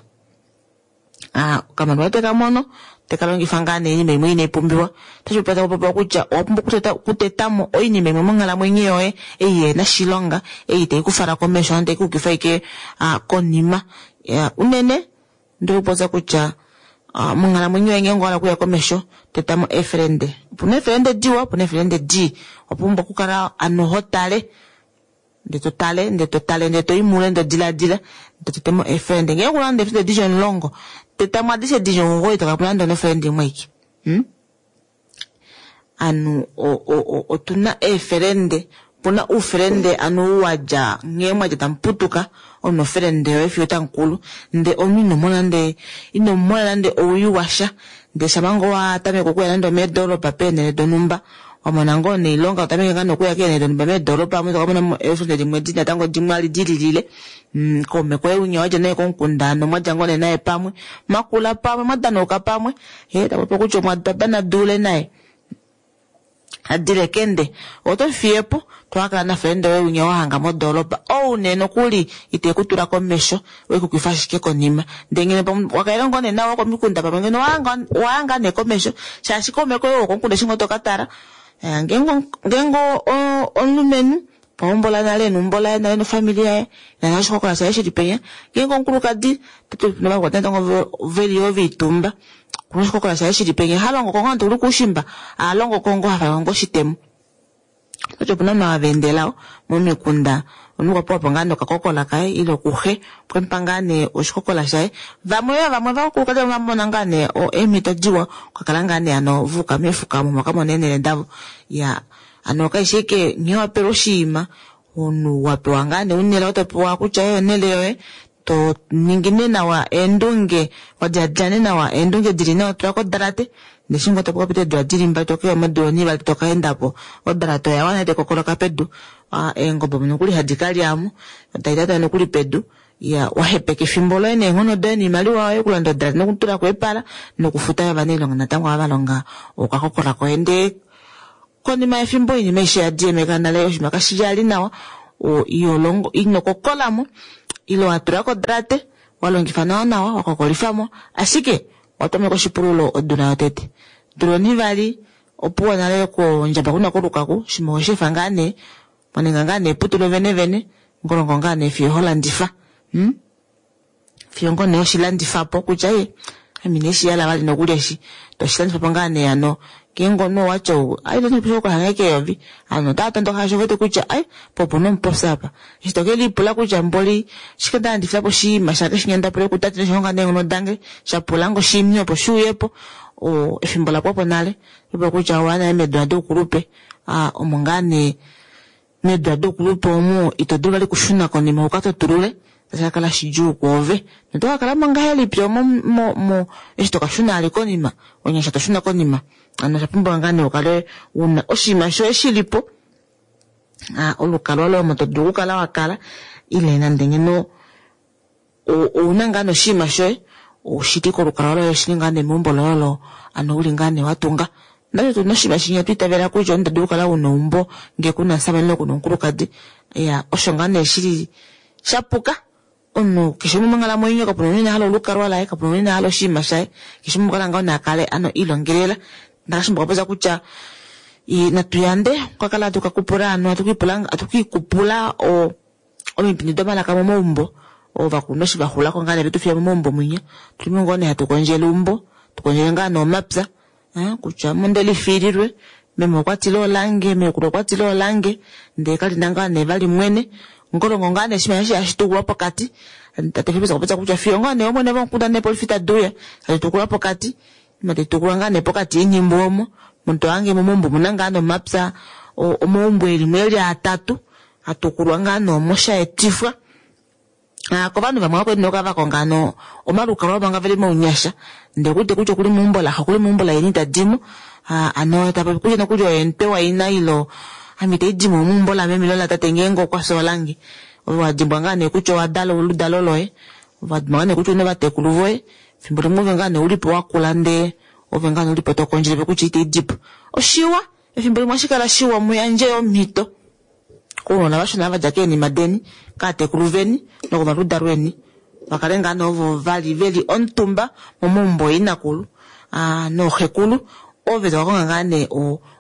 Ah, okamaliwa teka mono teka longifa ngaa nee oinima imwe inai pumbiwa. Otashi popiwa taku popiwa kutya owa pumbwa okuteta okutetamo oinima imwe monghalamwenyo yoye ei ihena oshilonga, ei itai kufala komesho ano tai kuukifa ashike ah, konima. Ya, unene ndili kupopya kutya ah, monghalamwenyo yoye ngeenge owa hala okuya komesho tetamo eefelende. Opuna eefelende diwa, opuna eefelende dii. Owa pumbwa okukala ano ho tale ndee to tale ndee to tale ndee to i mule ndee to diladila ndee to tetemo eefelende. Ngeenge okuna nande eefelende dili omulongo, tetamo adishe dili omugoyi to kala po nande onofelende imwe aike. Hmm? Anu otuna eefelende, opuna oufelende anu ou wadja nghee mwadja tamu putuka, omu nofelende yoye fiyo otamukulu, ndee omunhu ino mona nande ino mona nande owii washa, ndee shama ngoo wa tameke okuya nande omeedoropa peenhele donhumba, wamona ngoo noilonga totameke ngaa nokuya keenhele donhumba meedoropa omo tokamona mo eefelende dimwe di natango dimwe vali dililile. Mm, kaume koye winya wadja naye komukunda hano mwadja ngoo nee naye pamwe, mwakula pamwe, mwadanauka pamwe, hee tapopi kutya omwa dule naye adile kende oto fiyepo towakala nafelende woye winya wahanga modoropa ou nee nokuli ite kutula komesho wekukifa ashike konima ndee ngeno wakaele ngoo nee nawa komikunda pamwe ngeno waya ngaa nee komesho shaashi kaume koye wokomukunda eshi ngoo tokatala ngeenge ngeenge omulumenhu pahombola nale neumbo laye nale nofamili yaye nana oshikokola shaye shili penya, ngeenge omukulukadi natango veli yoo veitumba okuna oshikokola shaye shili penya, halongo ko ngoo nande okuli koushimba ahalongo ko ngoo hafa ngoo oshitemo. Kutya opuna ovanhu hava endela momikunda, omunhu okwa pewa po ngaa nee okakokola kaye ile kuxe okwemupa ngaa nee oshikokola shaye. Vamwe yoo vamwe ovakulukadi vamwe vamona ngaa nee eemhito diwa okakala ngaa nee hano va yuka meefuka omo vakamona eenhele davo. Iyaa hano kaifi ashike nghee wapelwa oshinima, omunhu wapewa ngaa nee unele oto pewa kutya oyo onhele yoye, to ningi nee nawa eendunge, wadiladila nee nawa eendunge dili nawa tula kodalate, ndee eshi ngoo toka pita eedula dili mbali tokeya modula onivali tokaendapo, odalate oya wana tai kokoloka pedu, eengobe omo nokuli hadi kalyamo, tai tata nokuli pedu, iya wahepeka efimbo loye neenghono doye noimaliwa yoye okulanda odalate nokutulako epala nokufuta ovanailonga natango ava valonga okakokola koye ndee konima yefimbo oinima aishe yadiemeka nale oshinima kashili nawa, iholongo ino kokolamo ile watula kodalate walongifa nawa nawa wakokolifamo ashike watameka oshipululo odula yotete, odula onivali opuwo nale kondjaba kuna kolukaku oshinima owesheefa ngaa nee mwaninga ngaa nee eputu lovene vene ngolongo ngaa nee fiyo holandifa. Hmm? Fiyo ngoo nee hoshilandifapo kutya ee ame ineshiyala vali nokuli eshi toshilandifapo ngaa nee hano ngeenge omunhu owatya ai okohange keyovi ovanhu otava tondoka shaashi ovewete kutya ai po opuna omupofi apa, eshi tokelipula kutya mboli oshike ndalandifilapo oshinima shange shinya ndapula kutate noshihonga neenghono dange shapulange oshimni opo shiuyepo, efimbo lapwapo nale opo kutya owaya nale meedula doukulupe, omo ngaa nee meedula doukulupe omo ito dulu vali okushuna konima ukatotulule otashi kakala shidjuu kwoove noto kakalamo ngahelipi omo mo eshi tokashuna vali konima onyasha toshuna konima. Hano osha pumbiwa ngaa nee ukale una oshinima shoye shilipo, olukalwa loye omo todulu okukala wakala ile nande ngeno ouna ngaa nee oshinima shoye oshili kolukalwa loye oshili ngaa nee meumbo loye olo ano uli ngaa nee watunga. Nale tuna oshinima shinya twiitavela kutya omunhu tadulu okukala una eumbo ngee kuna omushamane ile kuna omukulukadi, iya osho ngaa nee shili shapuka. Omunhu keshe umwe monghalamwenyo kapuna omunhu ina hala olukalwa laye, kapuna omunhu ina hala oshinima shaye, keshe umwe okwa hala ngoo nakale ano ilongelela. Ndakashimba okwa popya kutya natu yande okukakala hatu kakupula ano hatu kiikupula omipindi domalaka momaumbo, ovakulunhu eshi vaxulako ngaa nee vetufiya momaumbo mwinya, otulimo ngoo nee hatu kondjele eumbo, tukondjele ngaa nee omapya, kutya ame ondelifiililwe, meme okwatile olange, meekulu okwatile olange, ndee kalina ngaa nee vali mwene, ngolongo ngaa nee oshinima eshi hashi tukulwa pokati, tate Filippus okwa popya kutya fiyo ngoo nee omwene vomukunda neepolifi taduuya tashi tukulwa pokati, ima tai tukulwa ngaa nee pokati oinhimbu omo, omunhu tohange momaumbo omuna ngaa nomapya omaumbo elimo eli atatu atukulwa ngaa nee omo shaetifwa kovanhu vamwe vakwali nokukala vakonga hano omalukalwa manga veli mounyasha ndee okuwete kutya okuli meumbo laxe okuli meumbo laina itadimo, hano tapopi kutya nokuli oye omutwe waina ile ame itaidimo meumbo lameme ile latate ngeenge okwafya olange, ove wadimbwa ngaa nee kutya owadala oludalo loye, ove wadimbwa ngaa nee kutya ouna ovatekulu voye, efimbo limwe ove ngaa nee ulipo wakula ndee ove ngaa nee ulipo tokondjele kutya itaidipo. Oshiwa efimbo limwe ohashikala shiwa muyandje omhito kounona vashona vadja keenima deni, kaatekulu veni nokomaludalo eni. Vakale ngaa nee ovo vali veli omutumba momaumbo ooinakulu nooxekulu, ove toka konga ngaa nee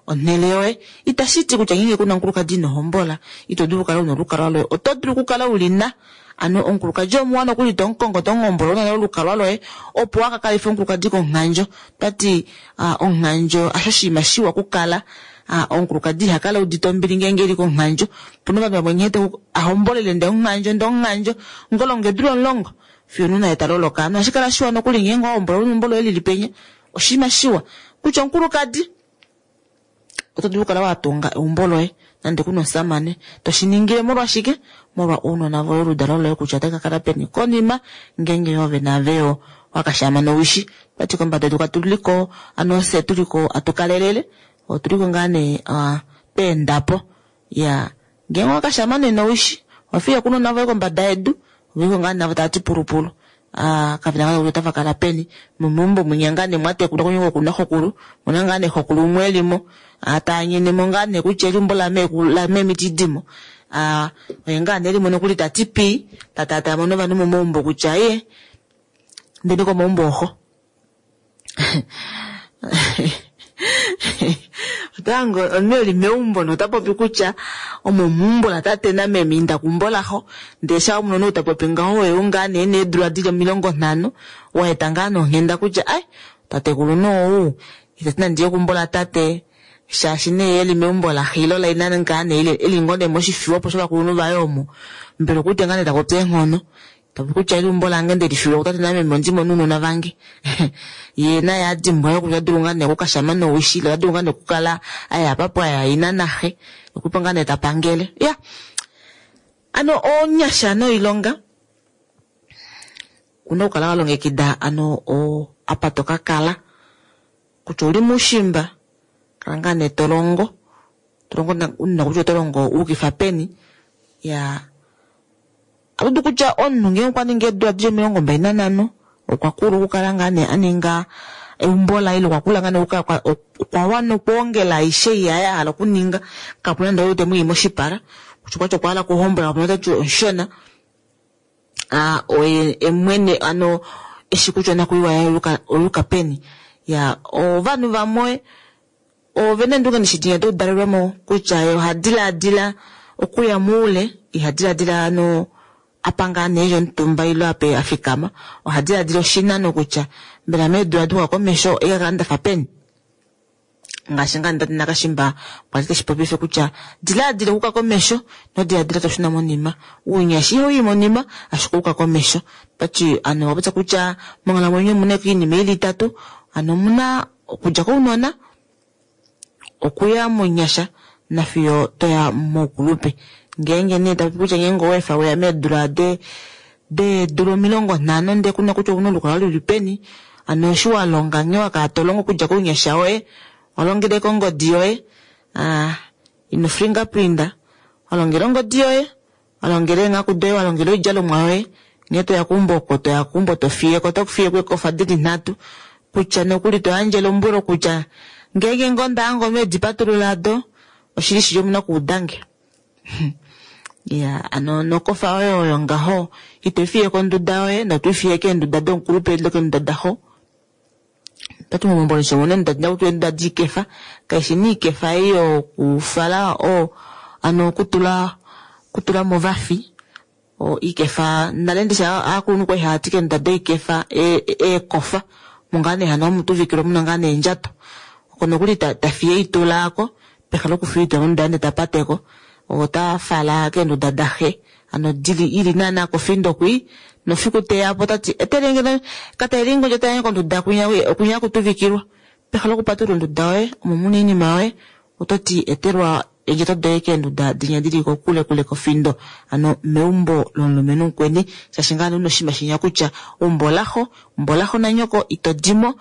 onhele yoye. Itashi ti kutya ngeenge kuna omukulukadi ino hombola ito dulu okukala una olukalwa loye, oto dulu okukala ulina. Ano omukulukadi omuwa nokuli to mukongo to muhombola una nale olukalwa loye opo waka kalife omukulukadi komunghandjo. Tati omunghandjo hasho oshinima shiwa okukala, omukulukadi ihakala eudite ombili ngeenge eli komunghandjo. Opuna ovanhu vamwe nghee ahombolele ndee omunghandjo ndee omunghandjo ngolonga eedula omulongo fiyo omunhu naye taloloka. Ano ohashi kala shiwa nokuli ngeenge wahombola una eumbo loye lili penya, oshinima shiwa. Kutya omukulukadi oto dulu okukala watunga eumbo loye nande kuna omusamane, toshiningile molwashike? Molwa ounona voye oludalo loye kutya otali kakala peni konima ngeenge ove naave wakashaama nowishi. Otwati kombada yedu katuliko ano fye tuliko atukalelele, otuliko ngaa nee tweendapo. Iyaa ngeenge owakashaama nee nowishi owafiya ounona voye kombada yedu, oveliko ngaa navo tavati pulupulu. Kavena ngaa kutya otava kala peni nomeumbo mwinya ngaa nee mwatekulwa kunyoko kunaxokulu, omuna ngaa nee xokulu umwe elimo taanyenemo ngaa nee kutya eumbo lameme itidimo. Oye ngaa nee elimo nokuli tati pii tataatayamo novanhu momaumbo kutya iye indeni komaumbo ooxo. Otohange omunhu eli meumbo nota popi kutya omo meumbo latate nameme inda keumbo laxo, ndee shaa omunhu ou tapopi ngaho oye ou ngaa nee ena eedula dili omilongo nhano waeta ngaa nonghenda kutya ai tatekulu nee ou itati nandiye keumbo latate shaashi nee eli meumbo laxe ile laina ngaa nee eli ngoo nee moshifiwa opo shovakulunhu vaye omo, mbela okuudite ngaa nee tapopi eenghono. Tapopi kutya eumbo lange ndelifilwa kutate nameme ondimo nounona vange. Yee naye adimbwa yoo kutya ota dulu ngaa nee okukashama nowishi ile ota dulu ngaa nee okukala aya apa pwaya ina naxe, okupo ngaa nee tapangele. Iya, ano onyasha noilonga una okukala walongekida ano apa tokakala kutya ouli muushimba kala ngaa nee tolongo, tolongo una kutya oto longo wuukifa peni. Iyaa ohatudu kutya omunhu ngeenge okwa ningi eedula dili omilongo mbali nanhano okwa kula okukala ngaa nee aninga eumbo laye ile okwa kula ngaa nee okwa wana okwoongela aishe ei aye ahala okuninga, kapuna nande ou temwiyi moshipala kutya okwati okwa hala okuhombola kapuna ou tati omushona. Oye mwene ano eshi kutya onakwiiwa yaye oyuuka peni. Iyaa ovanhu vamwe ovena eendunge ndishi doudalelwemo kutya ye oha dilaadila okuya moule, iha dilaadila ano apa ngaa nee eli omutumba ile apa afikama, oha dilaadila oshinano kutya mbela meedula duuka komesho oikakala ndafa peni. Ngaashi ngaa tate Nakashimba kwali teshi popife kutya dilaadila okuuka komesho ino dilaadila toshuna monima. Ounyasha ihauyi monima ashike ouka komesho. Otati ano okwa popya kutya monghalamwenyo omuna oinima ili itatu, ano omuna okudja kounona, okuya mounyasha nafiyo toya moukulupe. Ngeenge nee tapopi kutya ngeenge oweefa weya meedula deedula omilongo nhano ndee kuna kutya ouna olukalwa luli peni, ano eshi walonga nghee wakala tolongo okudja kounyasha woye, walongele kongodi yoye, ino fingerprinta, walongela ongodi yoye, walongela eenghaku doye, walongela oidjalomwa yoye, nghee toya keumbo oko toya keumbo tofiyeko tofiyeko eekofa dili nhatu, kutya nokuli toyandje elombwelo kutya ngeenge ngoo ndahange omunhu edipatulula ado, oshili shili omuna okuudange. Iya, ano nokofa yoye oyo ngaho ito ifiye konduda yoye noto ifiye keenduda domukulupe ile keenduda daxo. Otati momaumbo omuna eenduda hakutiwa eenduda diikefa, kaishi nee ikefa ei yokufala ano okutula okutulamo ovafi, oikefa nale ndishi aakulunhu kwali haati keenduda doikefa eekofa omo ngaa nee hano hamu tuvikilwa muna ngaa neendjato, oko nokuli tafiye eitula aako peha lokufiya eitula monduda ndee tapateko, otafala keenduda daxe ano dili ili naana kofindo kwii, nofiku teyapo otati etelenge katalelenge ondjato yange konduda kwinya kwinya hakutuvikilwa. Peha lokupatulula onduda yoye omo muna oinima yoye ototi etelwa eendjato doye keenduda dinya dili kokule kule kofindo, ano meumbo lomulumenhu mukweni, shaashi ngaa nee una oshinima shinya kutya eumbo olaxo, eumbo olaxo nanyoko ito dimo,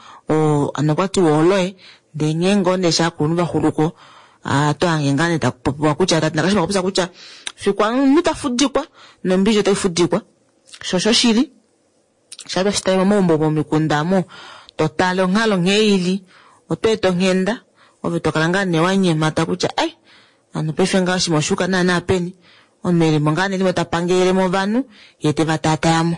ano okwatiwa oloye, ndee nghee ngoo nee eshi ovakulunhu vaxuluko otohange ngaa nee takupopiwa kutya tate Nakashima okwa popya kutya fiku omunhu tafudikwa nombili otai fudikwa, sho oshoshili shaa toshitale momaumbo momikunda omo totale onghalo nghee ili, oto eta onghenda ove tokala ngaa nee wanyemata kutya ai hano paife ngaha oshinima oshuuka naana peni, omunhu elimo ngaa nee elimo tapangelele ovanhu yee teva taatayamo.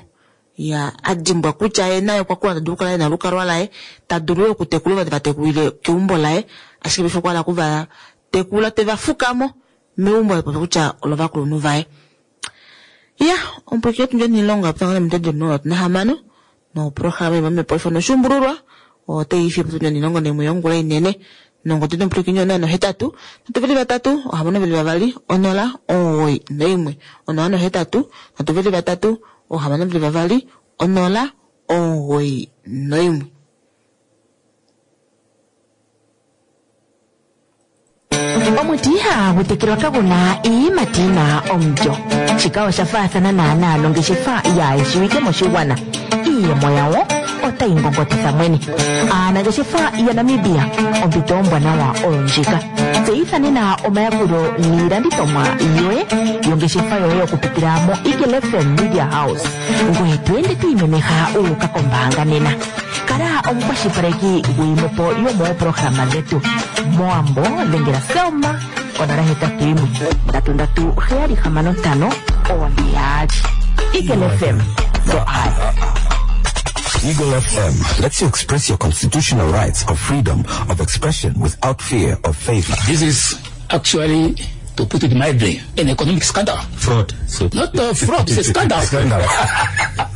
Ya adimbwa kutya ye naye okwa kula ta dulu okukala ena olukalwa laye, ta dulu yo okutekula ova tevatekulile keumbo laye, ashike paife okwa hala okuva tekula teva fukamo meumbo la popi kutya olovakulunhu vaye. Ya, omupwilikini wetu ndje oilonga yapita ngoo neminute omilongo nhatu nahamano noprograma yomamhepo ifano oshuumbululwa otai fiye potundi onilongo naimwe yongula inene nongodi nomupwilikini onola nohetatu nhatu veli vatatu ohamano veli vavali onola omugoyi noimwe onola nohetatu nhatu veli vatatu ohamano veli vavali onola omugoyi noimwe. Omuti ihagu tekelwa kaguna iiyimati yina omulyo. Shika osha faathana naanaa nongeshefa yaayeshiwike moshigwana. Iiyemo yawo otayi ngongotitha mwene. Aanangeshefa yaNamibia, ompito ombwanawa oyo ndjika. Tseyitha nena omayakulo niilandithomwa yoye yongeshefa yoye okupitila mo Eagle F M Media House. Ngoye to ende to imemeha u uka kombaanga nena. Kala omukwashilipaleki gwiimwepo yomooprograma dhetu. Moambo dhengela Selma onola hetatu yimwe ndatu ndatu heyali hamano ntano one yaali. Eagle F M, the eye. Eagle F M lets you express your constitutional rights of freedom of expression without fear of favor. This is actually, to put it mildly, an economic scandal. Fraud. So Not a fraud, it's a scandal. Scandal.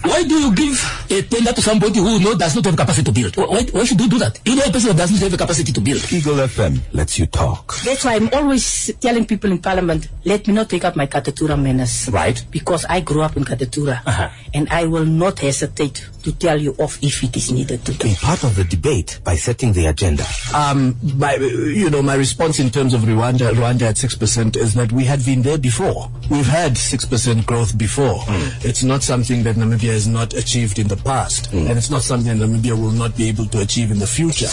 Why do you give a tender to somebody who knows does not have capacity to build? Why, why should you do that? You know a person that does not have the capacity to build. Eagle F M lets you talk. That's why I'm always telling people in Parliament, let me not take up my Katutura manners. Right. Because I grew up in Katutura. Uh-huh. And I will not hesitate to tell you off if it is needed to. Be part of the debate by setting the agenda. Um, my, you know, my response in terms of Rwanda, Rwanda at six percent is that we had been there before. We've had six percent growth before. Mm. It's not something that Namibia has not achieved in the past, mm. and it's not something that Namibia will not be able to achieve in the future.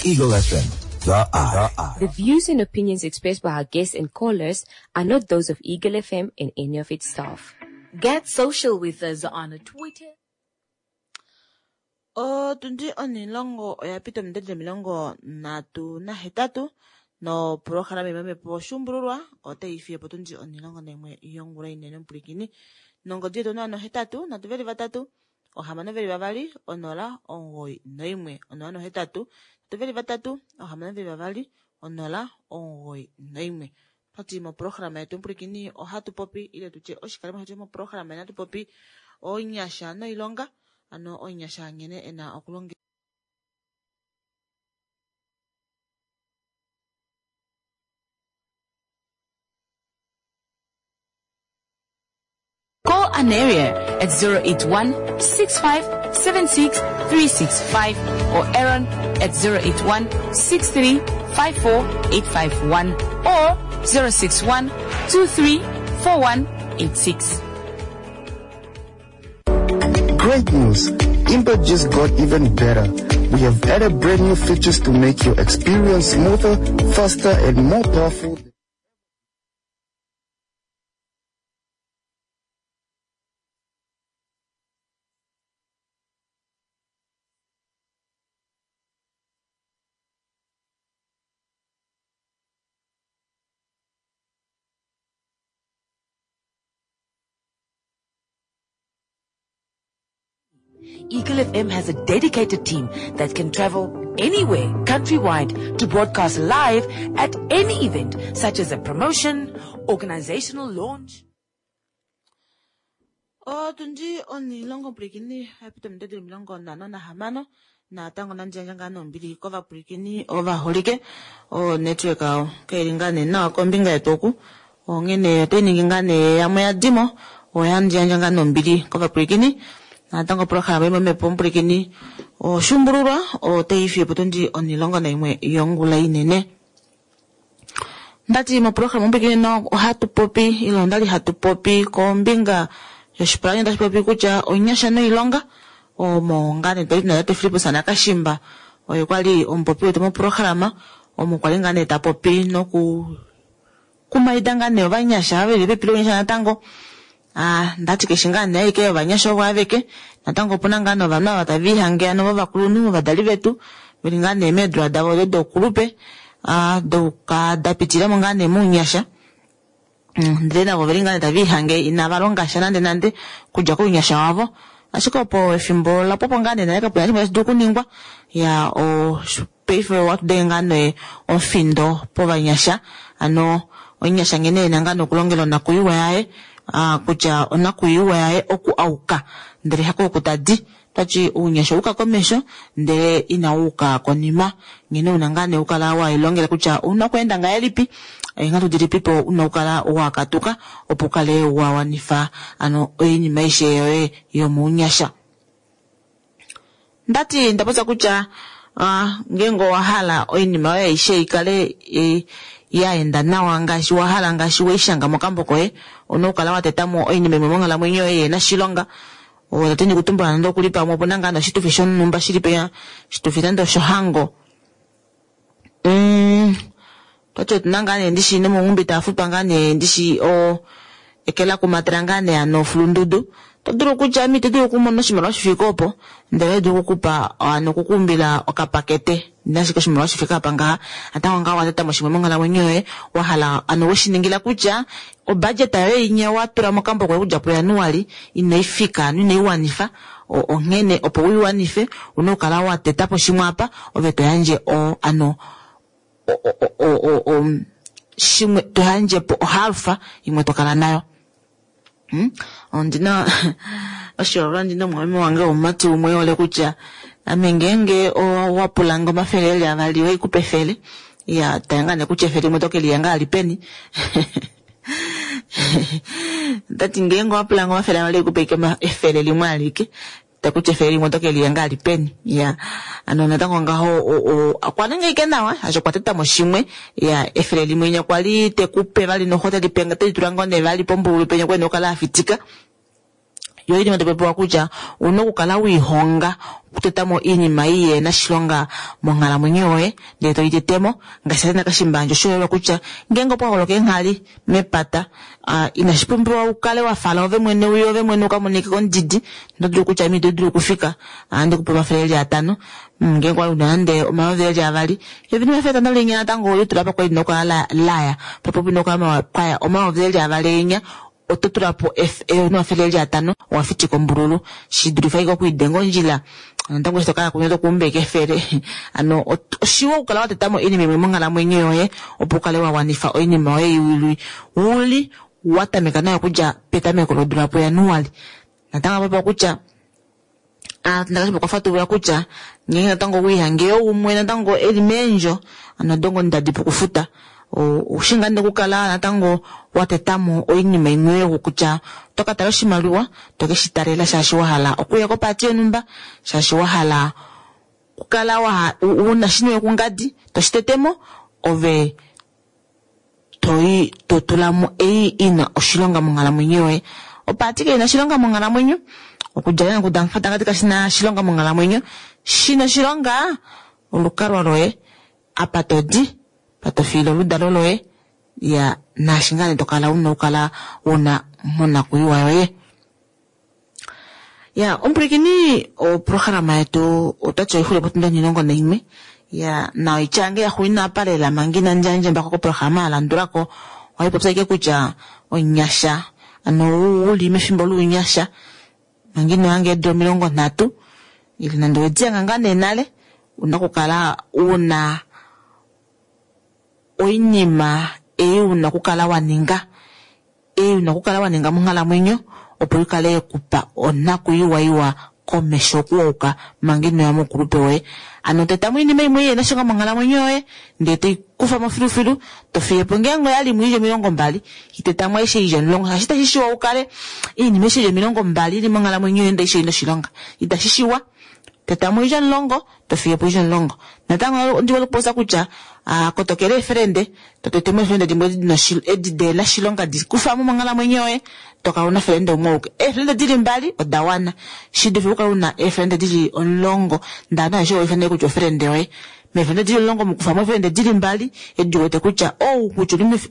Eagle F M, the eye. The eye. The views and opinions expressed by our guests and callers are not those of Eagle F M and any of its staff. Get social with us on Twitter. Otundi onilongo oya pita ominute omilongo ndatu nahetatu no programa yomamhepo oshuumbululwa otai fiye potundi onilongo naimwe yongula inene omupwilikini nongodi yetu onola nohetatu nhatu veli vatatu ohamano veli vavali onola omugoyi noimwe onola nohetatu nhatu veli vatatu ohamano veli vavali onola omugoyi noimwe. Twati moprograma yetu omupwilikini ohatu popi ile tutye oshikalimo shetu moprograma inatu popi onyasha noilonga ano onyasha nghene ena okulonga. Call Aneria at zero eight one, six five seven six three six five or Aaron at zero eight one, six three five four eight five one or zero six one, two three four one eight six. Great news! Imba just got even better. We have added brand new features to make your experience smoother, faster, and more powerful. Eagle F M has a dedicated team that can travel anywhere countrywide to broadcast live at any event, such as a promotion, organizational launch. Otundi onilongo mpwilikini yapita ominute omilongo nhano nahamano natango nandjandja ngaa nombili kovapwilikini ovaholike. O network ao kaili ngaa nee nawa kombinga yetu oku onghene otai ningi ngaa nee yamwe ya dimo oyandjandja ngaa nombili kovapwilikini. Natango programa yomamhepo mpwilikini oshuumbululwa otai fiye potundi onilongo naimwe yongula inene. Ndati moprograma mpwilikini no ohatu popi ile ondali hatu popi kombinga yoshipalanyole tashi popi kutya onyasha noilonga omo ngaa nee twali tuna tate Filippus Nakashimba oye kwali omupopi wetu moprograma omo kwali ngaa nee ta popi noku kumaida ngaa nee ovanyasha veli pepi lonyasha natango. Ah, ndati keshi ngaa nee aike ovanyasha ovo aveke natango opuna ngaa novanhu ava tava ihange ano vovakulunhu ovadali vetu veli ngaa nee meedula davo odo dokulupe, ah, doka da pitilamo ngaa nee mounyasha. Mm, ndele navo veli ngaa nee tava ihange inava longa sha nande nande kudja kounyasha wavo. Ashike opo efimbo la pwapo ngaa nee nale kapena shimwe tashi dulu okuningwa. Ya o paife ohatu denge ngaa nee omufindo povanyasha, ano omunyasha nghene ena ngaa nokulongela onakuyiwa yaye, ah, kutya onakuyiwa yaye oku auka ndele hako oku tadi. Tati ounyasha ouka komesho ndele ina uka konima, nghene una ngaa nee ukala wailongela kutya ouna okweenda ngahelipi, eenghatu dilipipo una okukala wakatuka opo ukale wa wanifa ano oinima aishe yoye yomounyasha. Ndati ndapopya kutya ah, ngeenge owa hala oinima yoye aishe ikale e, ya enda nawa ngaashi wa hala, ngaashi weishanga mokambo koye, ouna okukala wa tetamo oinima imwe monghalamwenyo yoye yena oshilonga. Otati ndikutumbula nande okuli pamwe opuna ngaa noshitufi shonhumba shili penya, oshitufi nande oshohango. Mm, toti otuna ngaa nee ndishi nomonghumbi tafutwa ngaa nee ndishi o ekela kumatela ngaa nee ano fulundudu. To dulu kutya ame ito dulu okumona oshimaliwa shifike opo, ndele dulu okukupa ano okukuumbila okapakete nashike oshimaliwa shifike apa ngaha, natango ngaho watetamo shimwe monghalamwenyo yoye wa hala ano weshiningila kutya obudget yoye inya watula mokambo koye okudja puJanuali inayi fika ano inayi wanifa, onghene opo uiwanife una okukala wa tetapo shimwe apa ove to yandje o ano o o o o shimwe to yandjepo ohalfa imwe to kala nayo. Hmm? Ondina oshiholelwa ndina omumwameme wange womumati umwe ole kutya ame ngeenge owa pula omafele eli avali oikupa efele, ya tanga nee kutya efele limwe to ke liyanga ali peni. Tati ngeenge owa pula omafele avali oikupa ike efele limwe alike, takutya efele limwe to ke liyanga ali peni. Ya ano natango ngaho okwa ninga ike nawa asho okwa tetamo shimwe, ya efele limwe inya kwali tekupe vali noho telipenga telitula ngoo nee vali pombululu penya kwene okala afitika. Yo iinima topewa kutya una okukala wiihonga okutetamo iinima ei yena oshilonga monghalamwenyo yoye ndele toyi tetemo, ngaashi tate Nakashimbandja oshiholelwa kutya ngeenge opwa holoka eenghali mepata, uh, inashi pumbiwa ukale wa fala ove mwene uye ove mwene ukamonike kondidi, oto dulu kutya ame ito dulu okufika ohandi kupe omafele eli atano, ngeenge wali una nande omayovi eli avali, eyovi nemafele atano linya natango olitula apa kwali lina okukala laya, popo pina okukala kwaya omayovi eli avali enya, oto tulapo eyovi nemafele eli atano owa fitika ombululu, shidulifa ike okwiidenga ondjila natango eshi tokala kunya tokuumba ike efele. Ano oshiwa okukala wa tetamo oinima imwe monghalamwenyo yoye opo ukale wa wanifa oinima yoye uli uli wa tameka nayo okudja petameko lodula puJanuali. Natango apa kutya ndakashipa okwa fatulula kutya ngeenge natango wiihange umwe natango eli meendjo ano dongo ndadi pokufuta, oushi ngaa nee okukala natango wa tetamo oinima imwe yoye kutya oto ka tala oshimaliwa to keshi talela shaashi wa hala okuya kopaati yonhumba, shaashi wa hala okukala una shiniwe kungadi toshi tetemo ove toyi to tulamo ei ina oshilonga monghalamwenyo yoye. Opaati kaina oshilonga monghalamwenyo, okudja nokudanfata kashina oshilonga monghalamwenyo, shina oshilonga olukalwa loye apa todi pa tofiile oludalo loye, ya naashi ngaa nee tokala una okukala una monakuyiwa yoye. Ya omupwilikini, oprograma yetu otati oixule potundi onhilongo naimwe, ya na oitya yange yaxuuninwa apa lela manga inandi yandja embako koprograma yalandulako, ohaipopya ike kutya onyasha ano uli mefimbo lounyasha manga ino hanga eedula omilongo nhatu ile nande owedi hanga ngaa nee nale, una okukala una oinima ei una okukala wa ninga, ei una okukala wa ninga monghalamwenyo opo ikale yekupa onakuyiwa iwa komesho okuwauka manga inoya moukulupe woye. Ano tetamo oinima imwe yena oshilonga monghalamwenyo yoye ndele toikufa filufilu, tofiyepo ngeenge oyali imwe ili omilongo mbali, itetamo aishe ili omulongo, shaashi itashi shiwa ukale oinima aishe ili omilongo mbali ili monghalamwenyo yoye ndele aishe oina oshilonga, itashi shiwa. Tetamo ili omulongo, tofiyepo ili omulongo. Natango ondi hole okupopya kutya kotokela eefelende, totetemo eefelende dimwe edi dena oshilonga dikufamo monghalamwenyo yoye, tokala una felende umwe auke. Eefelende dili mbali oda wana, shidulife okukala una eefelende dili omulongo ndee ovanhu aveshe owaifana kutya ofelende yoye. Meefelende dili omulongo mukufamo eefelende dili mbali edi wete kutya ou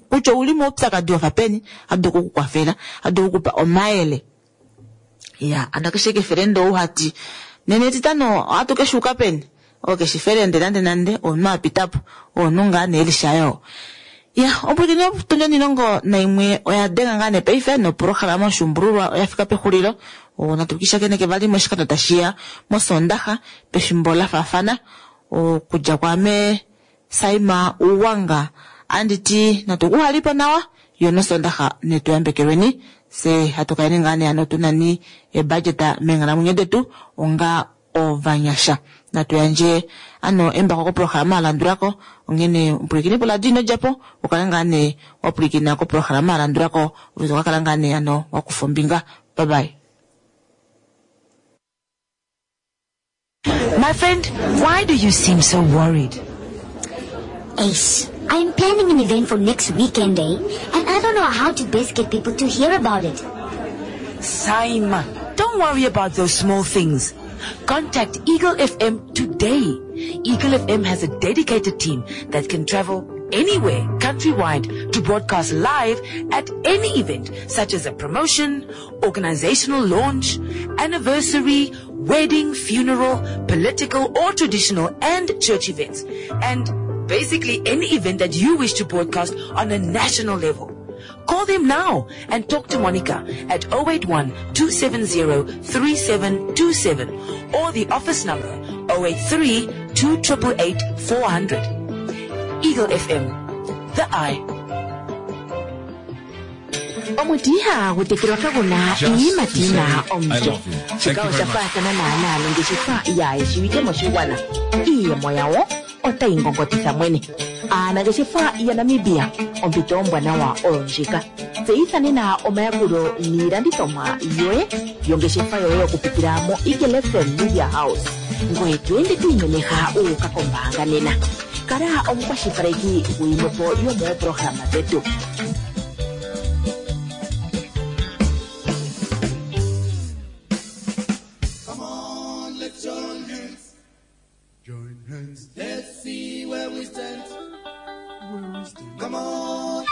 kutya ouli moupyakadi wafa peni, adu okukukwafela, adu okukupa omayele. Ya ano keshe kefelende ou hati nene etitano ohatu keshuuka peni, oo keshi felende nande nande omunhu apitapo, omunhu ngaa nee elishayo. Ya, ompwilikini otundi onilongo naimwe oya denga ngaa nee paife nopolohalama Oshuumbululwa oya fika pexulilo. Natu kishakeneke vali moshikando tashiya mOsoondaxa pefimbo la faafana. Okudja kwaame Saima Uwanga andi ti natu kuhalipo nawa yo nOsoondaxa netu yambekelweni fye hatu kaleni ngaa nee hano tunani ebudget meenghalamwenyo detu onga ovanyasha. Natu yandje ano embako koprograma alandulako onghene omupwilikini poladio ino djapo ukale ngaa nee wapwilikina koprograma alandulako ove tokakala ngaa nee ano wakufa ombinga. Bye bye. My friend, why do you seem so worried? Ace, I'm planning an event for next weekend, eh? And I don't know how to best get people to hear about it. Saima, don't worry about those small things. Contact Eagle F M today. Eagle F M has a dedicated team that can travel anywhere countrywide to broadcast live at any event such as a promotion, organizational launch, anniversary, wedding, funeral, political or traditional and church events, and basically any event that you wish to broadcast on a national level. Call them now and talk to Monica at oh eight one, two seven zero, three seven two seven or the office number oh eight three, two triple eight, four hundred. Eagle F M, the eye. Omuti ihagu tekelwa kaguna Just to iiyimati say, na I omulyo. love you. Thank Shika you osha very much. faathana naanaa nongeshefa yaayeshiwike moshigwana. Iiyemo yawo otayi ngongotitha mwene. Aanangeshefa yaNamibia, ompito ombwanawa oyo ndjika. Tseyitha nena omayakulo niilandithomwa yoye yongeshefa yoye okupitila mo Eagle F M Media House. Ngoye to ende to imemeha u uka kombaanga nena. Kala omukwashilipaleki gwiimwepo yomoopolohalama dhetu. Come on, let's join hands. Join hands. Let's see where we stand. Where we stand. Come on.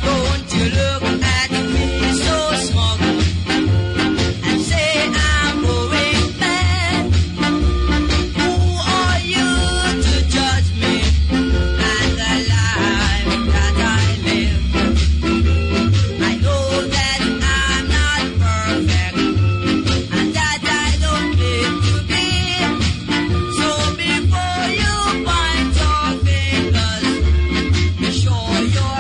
Don't you look at me so smug and say I'm going mad. Who are you to judge me and the life that I live? I know that I'm not perfect and that I don't claim to be. So before you point your fingers, be sure you're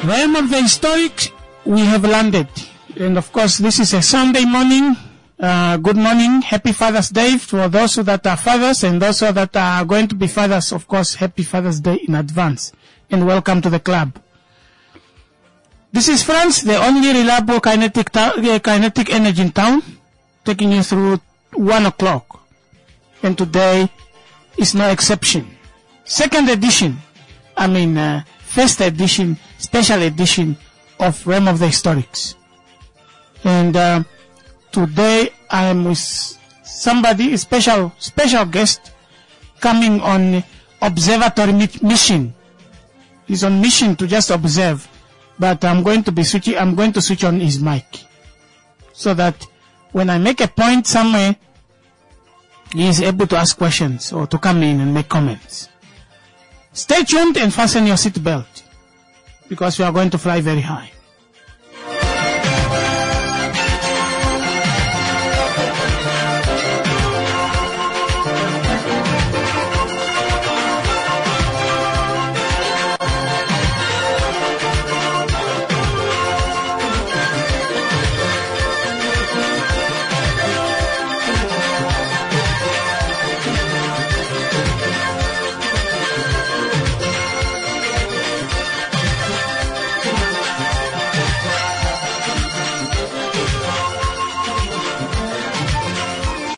Realm of the historic, we have landed. And of course, this is a Sunday morning. Uh, good morning. Happy Father's Day for those that are fathers and those that are going to be fathers. Of course, happy Father's Day in advance. And welcome to the club. This is Frans, the only reliable kinetic, uh, kinetic energy in town, taking you through one o'clock. And today is no exception. Second edition, I mean, uh, first edition, special edition of Realm of the Historics. And uh, today I am with somebody, a special, special guest coming on observatory mission. He's on mission to just observe, but I'm going to be switching, I'm going to switch on his mic so that when I make a point somewhere, he is able to ask questions or to come in and make comments. Stay tuned and fasten your seatbelt because we are going to fly very high.